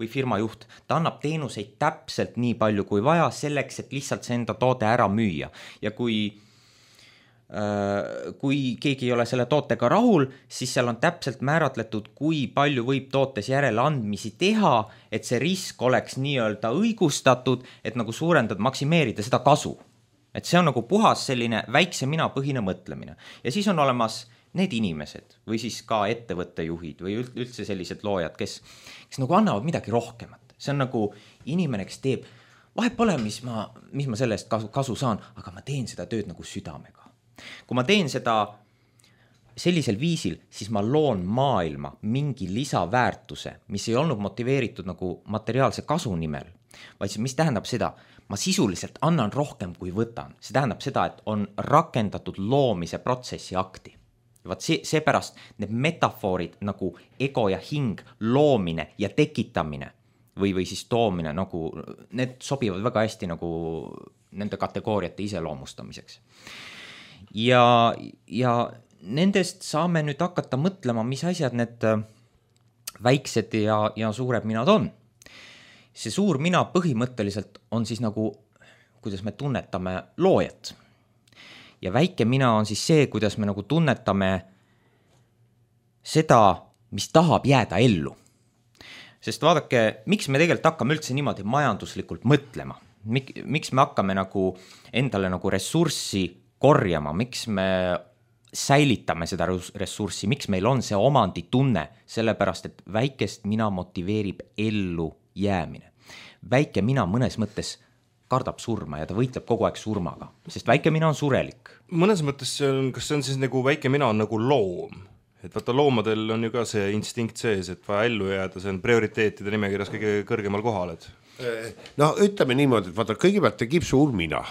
või firma juht, ta annab teenuseid täpselt nii palju kui vaja selleks, et lihtsalt see enda toode ära müüa. Ja kui kui keegi ei ole selle tootega rahul, siis seal on täpselt määratletud, kui palju võib tootes järele andmisi teha, et see risk oleks nii-öelda õigustatud, et nagu suurendada, maksimeerida seda kasu. Et see on nagu puhas selline väikse mina põhine mõtlemine. Ja siis on olemas need inimesed või siis ka ettevõttejuhid või üldse sellised loojad, kes, kes nagu annavad midagi rohkemat. See on nagu inimene, kes teeb, vahet pole, mis ma, mis ma sellest kasu, kasu saan, aga ma teen seda tööd nagu südamega. Kui ma teen seda sellisel viisil, siis ma loon maailma mingi lisaväärtuse, mis ei olnud motiveeritud nagu materiaalse kasu nimel, vaid mis tähendab seda, ma sisuliselt annan rohkem kui võtan. See tähendab seda, et on rakendatud loomise protsessi akti. Vaat see, seepärast need metafoorid nagu ego ja hing, loomine ja tekitamine või, või siis toomine, nagu need sobivad väga hästi nagu nende kategooriate iseloomustamiseks. Ja, ja nendest saame nüüd hakata mõtlema, mis asjad need väiksed ja, ja suured minad on. See suur mina põhimõtteliselt on siis nagu, kuidas me tunnetame loojat. Ja väike mina on siis see, kuidas me nagu tunnetame seda, mis tahab jääda ellu. Sest vaadake, miks me tegelikult hakkame üldse niimoodi majanduslikult mõtlema? Mik, miks me hakkame nagu endale nagu ressurssi korjama? Miks me säilitame seda ressurssi? Miks meil on see omanditunne? Sellepärast, et väikest mina motiveerib ellu jäämine. Väike mina mõnes mõttes kardab surma ja ta võitleb kogu aeg surmaga, sest väike mina on surelik. Mõnes mõttes see on, kas see on siis nagu väike mina on nagu loom? Et vaata loomadel on ju ka see instinkt sees, et vaja ellu jääda, see on prioriteetide nimekirjas kõige kõrgemal kohal. Et... No ütleme niimoodi, et vaata kõigepealt tekib suur mina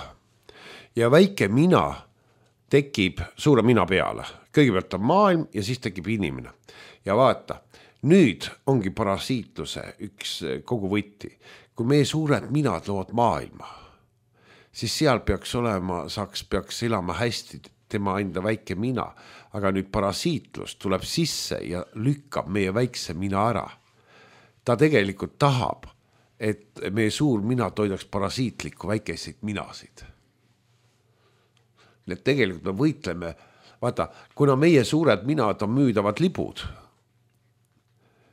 ja väike mina tekib suure mina peale. Kõigepealt on maailm ja siis tekib inimene. Ja vaata, nüüd ongi parasiitluse üks kogu võtti. Kui meie suured minad loovad maailma, siis seal peaks olema, saaks, peaks elama hästi tema enda väike mina, aga nüüd parasiitlus tuleb sisse ja lükkab meie väikse mina ära. Ta tegelikult tahab, et meie suur mina toidaks parasiitlikku väikeseid minasid. Need tegelikult me võitleme, vaata, kuna meie suured minad on müüdavad libud,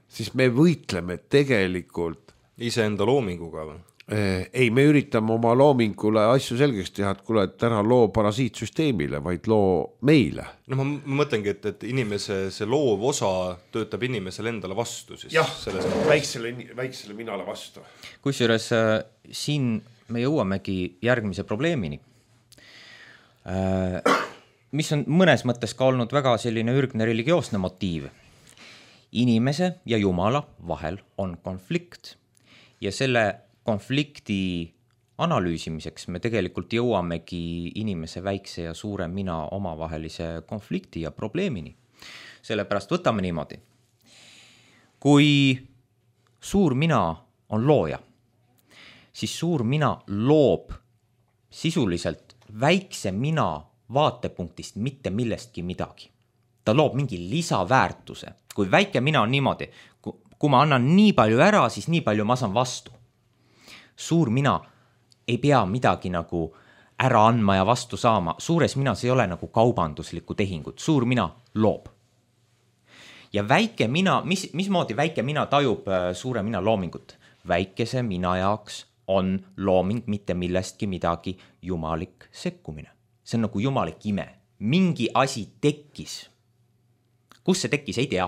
siis me võitleme tegelikult iseenda loominguga või? Ei, me üritame oma loomingule asju selgeks teha, et kuule, et ära loo parasiitsüsteemile, vaid loo meile. No ma mõtlengi, et, et inimese see loov osa töötab inimesele endale vastu. Siis jah, väiksele, väiksele minale vastu. Kusjuures äh, siin me jõuamegi järgmise probleemini, äh, mis on mõnes mõttes ka olnud väga selline ürgne religioosne motiiv. Inimese ja Jumala vahel on konflikt ja selle konflikti analüüsimiseks me tegelikult jõuamegi inimese väikse ja suure mina omavahelise konflikti ja probleemini. Sellepärast võtame niimoodi. Kui suur mina on looja, siis suur mina loob sisuliselt väikse mina vaatepunktist mitte millestki midagi. Ta loob mingi lisaväärtuse. Kui väike mina on niimoodi, kui ma annan nii palju ära, siis nii palju ma saan vastu. Suur mina ei pea midagi nagu ära andma ja vastu saama. Suures minas ei ole nagu kaubanduslikku tehingut. Suur mina loob. Ja väike mina, mis, mismoodi väike mina tajub suure mina loomingut? Väikese mina jaoks on looming mitte millestki midagi jumalik sekkumine. See on nagu jumalik ime. Mingi asi tekkis. Kus see tekkis, ei tea.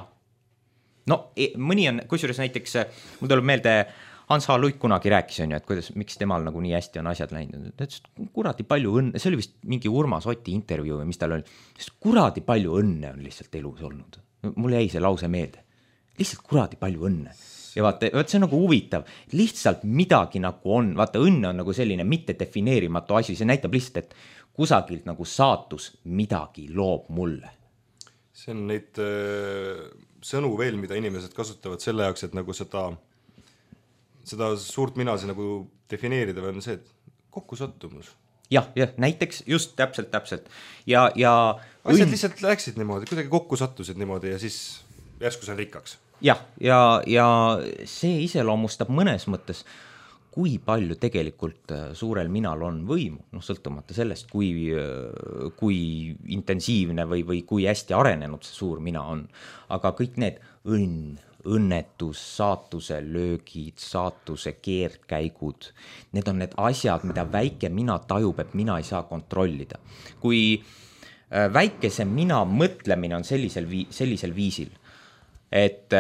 No mõni on, kusjuures näiteks, mul tuleb meelde Hans H. Luik kunagi rääkis, on ju, et kuidas, miks temal nagu nii hästi on asjad läinud. Ta ütles, kuradi palju õnne, see oli vist mingi Urmas Oti intervjuu, mis tal oli, kuradi palju õnne on lihtsalt elus olnud. Mul jäi see lause meelde. Lihtsalt kuradi palju õnne. Ja vaata, vaata, see on nagu huvitav. Lihtsalt midagi nagu on, vaata, õnne on nagu selline mitte defineerimatu asi, see näitab lihtsalt, et kusagilt nagu saatus midagi loob mulle. See on neid äh, sõnu veel, mida inimesed kasutavad selle jaoks, et nagu seda seda suurt minasi nagu defineerida või on see, et kokkusattumus. Jah, jah, näiteks just täpselt, täpselt. Ja, ja asjad õnn... lihtsalt läksid niimoodi, kuidagi kokku sattusid niimoodi ja siis järsku see rikkaks. Jah, ja, ja see iseloomustab mõnes mõttes, kui palju tegelikult suurel minal on võimu, noh, sõltumata sellest, kui, kui intensiivne või, või kui hästi arenenud see suur mina on. Aga kõik need õnn, õnnetus, saatuse löögid, saatuse keerdkäigud, need on need asjad, mida väike mina tajub, et mina ei saa kontrollida. Kui väikese mina mõtlemine on sellisel, vii, sellisel viisil, et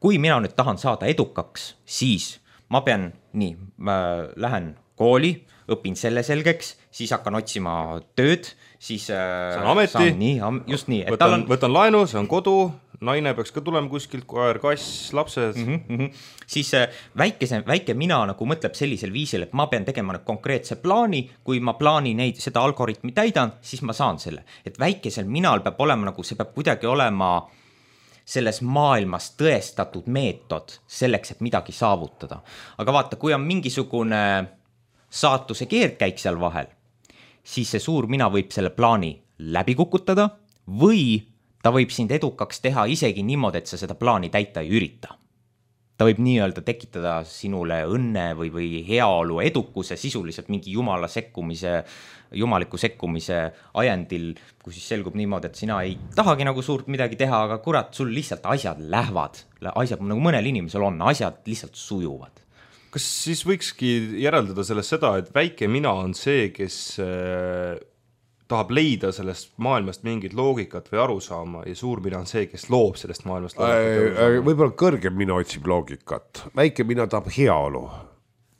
kui mina nüüd tahan saada edukaks, siis ma pean, nii, ma lähen kooli, õpin selle selgeks, siis hakkan otsima tööd, siis saan ameti, saan, nii, just nii. Et võtan, on... võtan laenu, see on kodu, naine peaks ka tulema kuskilt, koer, kass, lapsed. Mm -hmm, mm -hmm. Siis väikese, väike mina nagu mõtleb sellisel viisil, et ma pean tegema konkreetse plaani, kui ma plaani neid, seda algoritmi täidan, siis ma saan selle. Et väikesel minal peab olema nagu, see peab kuidagi olema selles maailmas tõestatud meetod selleks, et midagi saavutada. Aga vaata, kui on mingisugune saatuse keerdkäik seal vahel, siis see suur mina võib selle plaani läbi kukutada või ta võib sind edukaks teha isegi niimoodi, et sa seda plaani täita ei ürita. Ta võib nii-öelda tekitada sinule õnne või, või heaolu edukuse sisuliselt mingi jumala sekkumise, jumaliku sekkumise ajendil, kus siis selgub niimoodi, et sina ei tahagi nagu suurt midagi teha, aga kurat, sul lihtsalt asjad lähevad, asjad nagu mõnel inimesel on, asjad lihtsalt sujuvad. Kas siis võikski järeldada sellest seda, et väike mina on see, kes äh, tahab leida sellest maailmast mingit loogikat või arusaama ja suur mina on see, kes loob sellest maailmast loogikat äh, äh, võib-olla kõrgem mina otsib loogikat, väike mina tahab heaolu,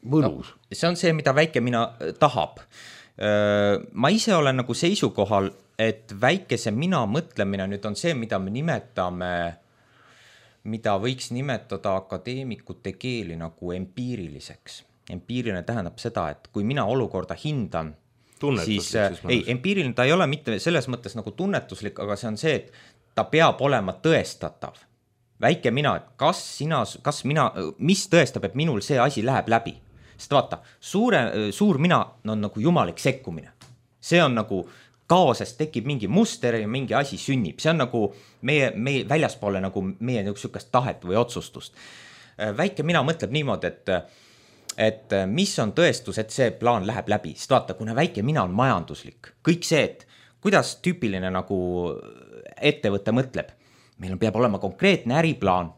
mõnus no,. See on see, mida väike mina tahab. Ma ise olen nagu seisukohal, et väikese mina mõtlemine nüüd on see, mida me nimetame, mida võiks nimetada akadeemikute keeli nagu empiiriliseks. Empiiriline tähendab seda, et kui mina olukorda hindan, siis, siis ei, empiiriline ta ei ole mitte selles mõttes nagu tunnetuslik, aga see on see, et ta peab olema tõestatav. Väike mina, et kas sina, kas mina, mis tõestab, et minul see asi läheb läbi? Sest vaata, suure, suur mina on nagu jumalik sekkumine. See on nagu kaosest tekib mingi muster ja mingi asi sünnib. See on nagu meie, meie väljaspoole nagu meie niisugust tahet või otsustust. Väike mina mõtleb niimoodi, et et mis on tõestus, et see plaan läheb läbi. Sest vaata, kuna väike mina on majanduslik, kõik see, et kuidas tüüpiline nagu ettevõte mõtleb, meil peab olema konkreetne äriplaan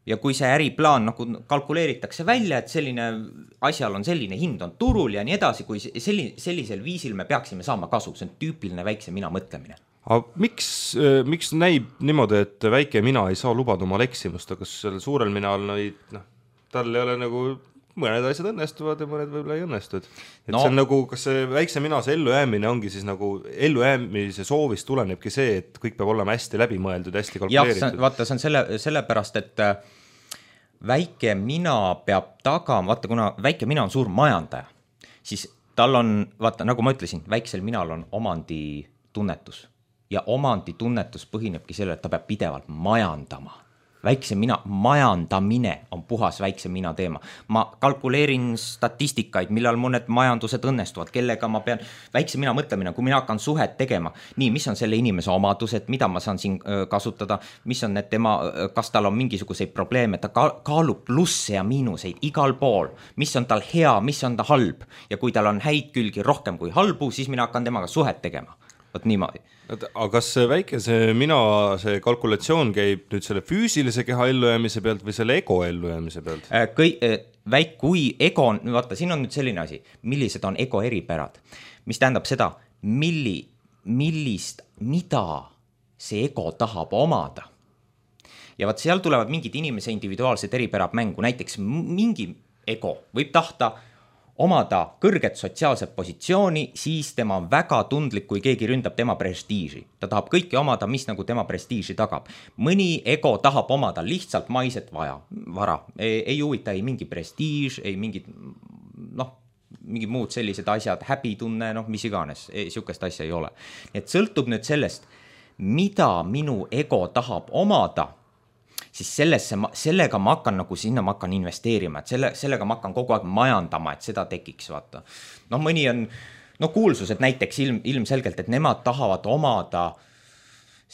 ja kui see äriplaan nagu kalkuleeritakse välja, et selline asjal on selline hind on turul ja nii edasi, kui selli, sellisel viisil me peaksime saama kasu, see on tüüpiline väikse mina mõtlemine. Aga miks, miks näib niimoodi, et väike mina ei saa lubada omal eksimust, aga sellel suurel minal no, tal ei ole nagu mõned asjad õnnestuvad ja mõned võib-olla ei õnnestu. Et no. See on nagu, kas see väikse mina, see ellujäämine ongi siis nagu ellujäämise soovist tulenebki see, et kõik peab olema hästi läbimõeldud, hästi kalkuleeritud. Jah, vaata, see on selle, sellepärast, et väike mina peab tagama, vaata, kuna väike mina on suur majandaja, siis tal on, vaata, nagu ma ütlesin, väiksel minal on omanditunnetus ja omanditunnetus põhinebki selle, et ta peab pidevalt majandama. Väikse mina, majandamine on puhas väikse mina teema. Ma kalkuleerin statistikaid, millal mõned majandused õnnestuvad, kellega ma pean, väikse mina mõtlemine, kui mina hakkan suhet tegema, nii, mis on selle inimese omadused, mida ma saan siin kasutada, mis on need tema, kas tal on mingisuguseid probleeme, ta kaalub plusse ja miinuseid igal pool, mis on tal hea, mis on ta halb ja kui tal on häid külgi rohkem kui halbu, siis mina hakkan temaga suhet tegema. Võt niimoodi. Aga kas see väikese mina, see kalkulatsioon käib nüüd selle füüsilise keha ellujäämise pealt või selle ego ellujäämise pealt? Kõi, väik, kui ego on, vaata, siin on nüüd selline asi, millised on ego eripärad, mis tähendab seda, milli, millist, mida see ego tahab omada. Ja vaat seal tulevad mingid inimese individuaalsed eripärad mängu, näiteks mingi ego võib tahta omada kõrget sotsiaalset positsiooni, siis tema on väga tundlik, kui keegi ründab tema prestiiži. Ta tahab kõike omada, mis nagu tema prestiiži tagab. Mõni ego tahab omada lihtsalt maiset vaja, vara. Ei, ei huvita ei mingi prestiiž, ei mingid, noh, mingid muud sellised asjad, häbitunne, noh, mis iganes, siukest asja ei ole. Et sõltub nüüd sellest, mida minu ego tahab omada, siis sellesse, sellega ma hakkan nagu sinna ma hakkan investeerima, et selle, sellega ma hakkan kogu aeg majandama, et seda tekiks, vaata. No mõni on, no kuulsused näiteks ilm, ilmselgelt, et nemad tahavad omada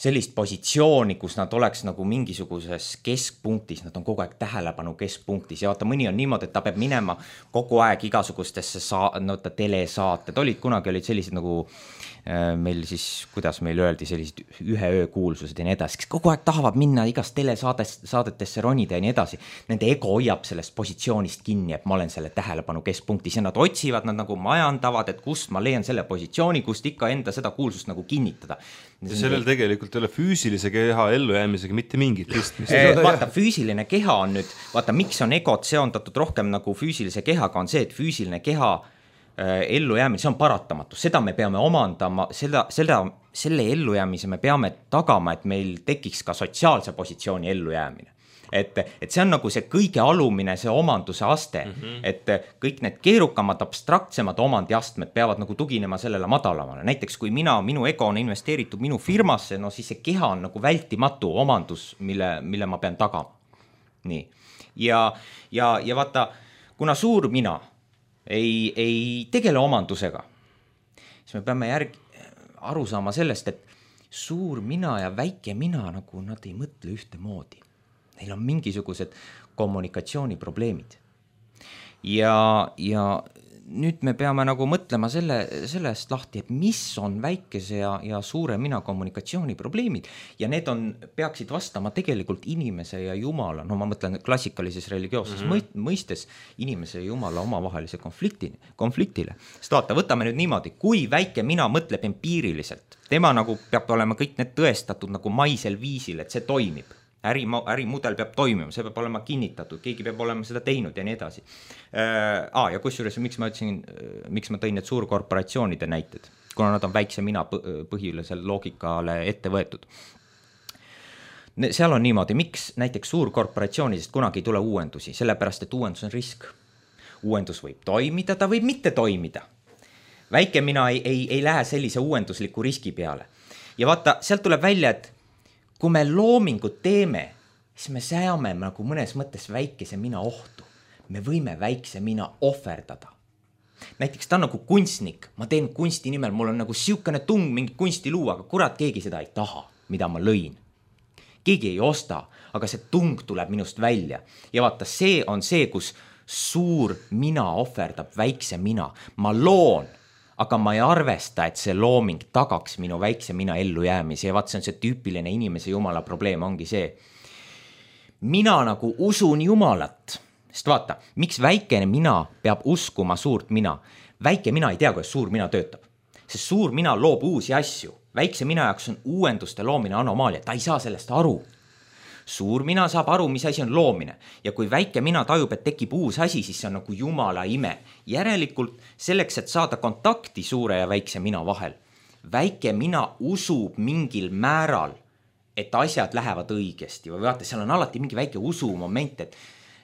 sellist positsiooni, kus nad oleks nagu mingisuguses keskpunktis, nad on kogu aeg tähelepanu keskpunktis ja vaata, mõni on niimoodi, et ta peab minema kogu aeg igasugustesse saa-, no ta telesaated, olid kunagi olid sellised nagu äh, meil siis, kuidas meil öeldi, sellised ühe öö kuulsused ja nii edasi, kes kogu aeg tahavad minna igast telesaadest, saadetesse ronida ja nii edasi. Nende ego hoiab sellest positsioonist kinni, et ma olen selle tähelepanu keskpunktis ja nad otsivad, nad nagu majandavad, et kust ma leian selle positsiooni, kust ikka enda seda kuulsust nagu kinnitada. Ja sellel tegelikult ei ole füüsilise keha ellujäämisega mitte mingit pistmist. Vaata, füüsiline keha on nüüd, vaata, miks on egod seondatud rohkem nagu füüsilise kehaga, on see, et füüsiline keha äh, ellujäämine, see on paratamatu, seda me peame omandama, seda, seda, selle ellujäämise me peame tagama, et meil tekiks ka sotsiaalse positsiooni ellujäämine. Et, et see on nagu see kõige alumine, see omanduse aste, mm -hmm. et kõik need keerukamad, abstraktsemad omandiastmed peavad nagu tuginema sellele madalamale. Näiteks kui mina, minu ego on investeeritud minu firmasse, no siis see keha on nagu vältimatu omandus, mille, mille ma pean tagama. Nii. Ja, ja, ja vaata, kuna suur mina ei, ei tegele omandusega, siis me peame järg, aru saama sellest, et suur mina ja väike mina nagu nad ei mõtle ühte moodi. Neil on mingisugused kommunikatsiooniprobleemid. Ja, ja nüüd me peame nagu mõtlema selle, sellest lahti, et mis on väikese ja, ja suure mina kommunikatsiooniprobleemid. Ja need on, peaksid vastama tegelikult inimese ja jumala, no ma mõtlen klassikalises religioosses mm-hmm. mõistes inimese ja jumala omavahelise konflikti, konfliktile. Sest vaata, võtame nüüd niimoodi, kui väike mina mõtleb empiiriliselt, tema nagu peab olema kõik need tõestatud nagu maisel viisil, et see toimib. Äri, ärimudel peab toimima, see peab olema kinnitatud, keegi peab olema seda teinud ja nii edasi. Äh, ah, ja kusjuures, miks ma ütlesin, miks ma tõin need suurkorporatsioonide näited, kuna nad on väikse mina põhilisel loogikale ette võetud. Seal on niimoodi, miks näiteks suurkorporatsioonidest kunagi ei tule uuendusi, sellepärast, et uuendus on risk. Uuendus võib toimida, ta võib mitte toimida. Väike mina ei, ei, ei lähe sellise uuendusliku riski peale. Ja vaata, sealt tuleb välja, et kui me loomingut teeme, siis me seame nagu mõnes mõttes väikese mina ohtu. Me võime väikse mina ohverdada. Näiteks ta on nagu kunstnik, ma teen kunsti nimel, mul on nagu siukene tung mingi kunsti luua, aga kurat, keegi seda ei taha, mida ma lõin. Keegi ei osta, aga see tung tuleb minust välja. Ja vaata, see on see, kus suur mina ohverdab väikse mina. Ma loon, aga ma ei arvesta, et see looming tagaks minu väikse mina ellu jäämise ja vaat see on see tüüpiline inimese jumala probleem ongi see. Mina nagu usun jumalat, sest vaata, miks väikene mina peab uskuma suurt mina? Väike mina ei tea, kuidas suur mina töötab, sest suur mina loob uusi asju. Väikse mina jaoks on uuenduste loomine anomaalia, ta ei saa sellest aru. Suur mina saab aru, mis asi on loomine ja kui väike mina tajub, et tekib uus asi, siis see on nagu jumala ime. Järelikult selleks, et saada kontakti suure ja väikse mina vahel, väike mina usub mingil määral, et asjad lähevad õigesti või vaata, seal on alati mingi väike usumoment, et,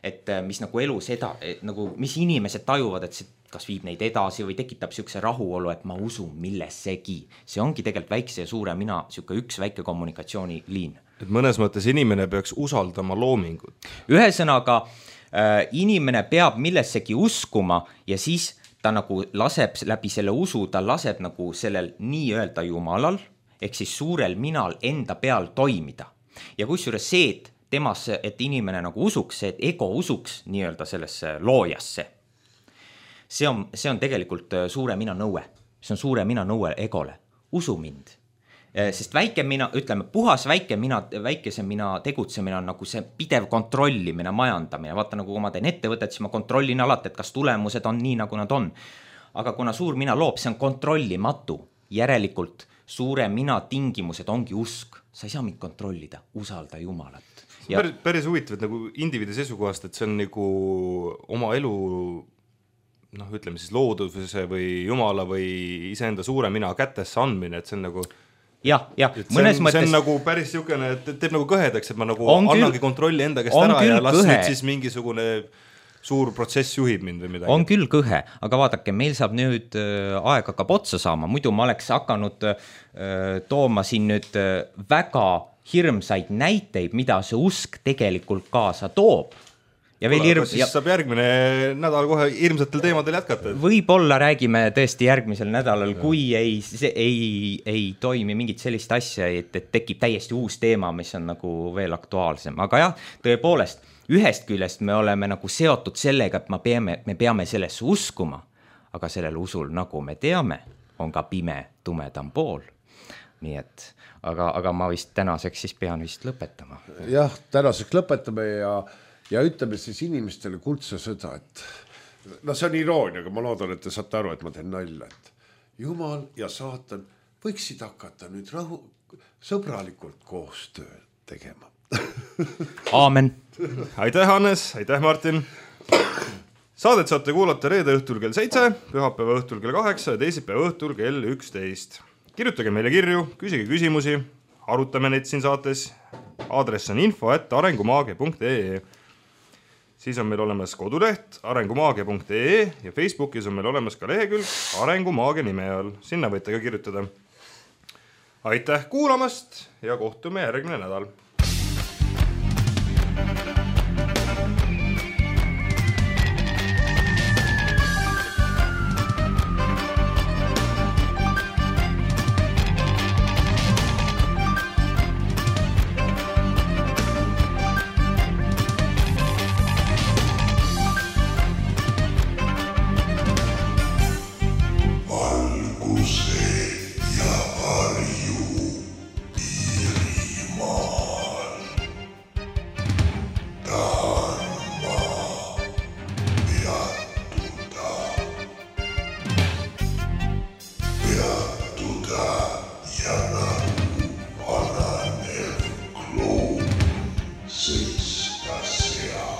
et mis nagu elus eda, nagu mis inimesed tajuvad, et see kas viib neid edasi või tekitab siukse rahuolu, et ma usun millessegi. See ongi tegelikult väikse ja suure mina siuke üks väike kommunikatsiooniliin. Et mõnes mõttes inimene peaks usaldama loomingut. Ühesõnaga, äh, inimene peab millessegi uskuma ja siis ta nagu laseb läbi selle usu, ta laseb nagu sellel nii-öelda jumalal, ehk siis suurel minal enda peal toimida. Ja kusjuures see, et temasse, et inimene nagu usuks, see, et ego usuks nii-öelda sellesse loojasse, see on, see on tegelikult suure mina nõue. See on suure mina nõue egole. Usu mind. Sest väike mina, ütleme, puhas väike mina, väikese mina tegutsemine on nagu see pidev kontrollimine, majandamine. Vaata, nagu kui ma teen ettevõtet, siis ma kontrollin alati, et kas tulemused on nii, nagu nad on. Aga kuna suur mina loob, see on kontrollimatu. Järelikult suure mina tingimused ongi usk. Sa ei saa mind kontrollida, usalda jumalat. Ja päris, päris huvitav, et nagu indiviidi seisukohast, et see on nagu oma elu, noh, ütleme siis looduse või jumala või iseenda suure mina kätesse andmine, et see on nagu jah, jah, mõnes mõttes see on nagu päris niisugune, et teeb nagu kõhedaks, et ma nagu annangi kontrolli enda käest ära ja las nüüd siis mingisugune suur protsess juhib mind või midagi. On küll kõhe, aga vaadake, meil saab nüüd aeg hakkab otsa saama, muidu ma oleks hakanud tooma siin nüüd väga hirmsaid näiteid, mida see usk tegelikult kaasa toob. ja veel hirm... siis ja... saab järgmine nädal kohe hirmsatel teemadel jätkata. Võib-olla räägime tõesti järgmisel nädalal, ja. kui ei, ei, ei toimi mingit sellist asja, et, et tekib täiesti uus teema, mis on nagu veel aktuaalsem. Aga jah, tõepoolest, ühest küljest me oleme nagu seotud sellega, et me peame, me peame sellesse uskuma, aga sellel usul, nagu me teame, on ka pime, tumedam pool. Nii et, aga, aga ma vist tänaseks siis pean vist lõpetama. Jah, tänaseks lõpetame ja Ja ütleme siis inimestele kuldse sõda, et no see on iroonia, aga ma loodan, et te saate aru, et ma teen nalja, et Jumal ja saatan võiksid hakata nüüd rahu, sõbralikult koostöö tegema. Aamen. Aitäh, Hannes, aitäh, Martin. Saadet saate kuulata reede õhtul kell seitse, pühapäeva õhtul kell kaheksa ja teisipäeva õhtul kell üksteist. Kirjutage meile kirju, küsige küsimusi, arutame neid siin saates. Aadress on info at arengumaage punkt ee. Siis on meil olemas koduleht arengumaage punkt ee ja Facebookis on meil olemas ka lehekülg Arengumaage nime all. Sinna võite ka kirjutada. Aitäh kuulamast ja kohtume järgmine nädal. Six, that's yeah.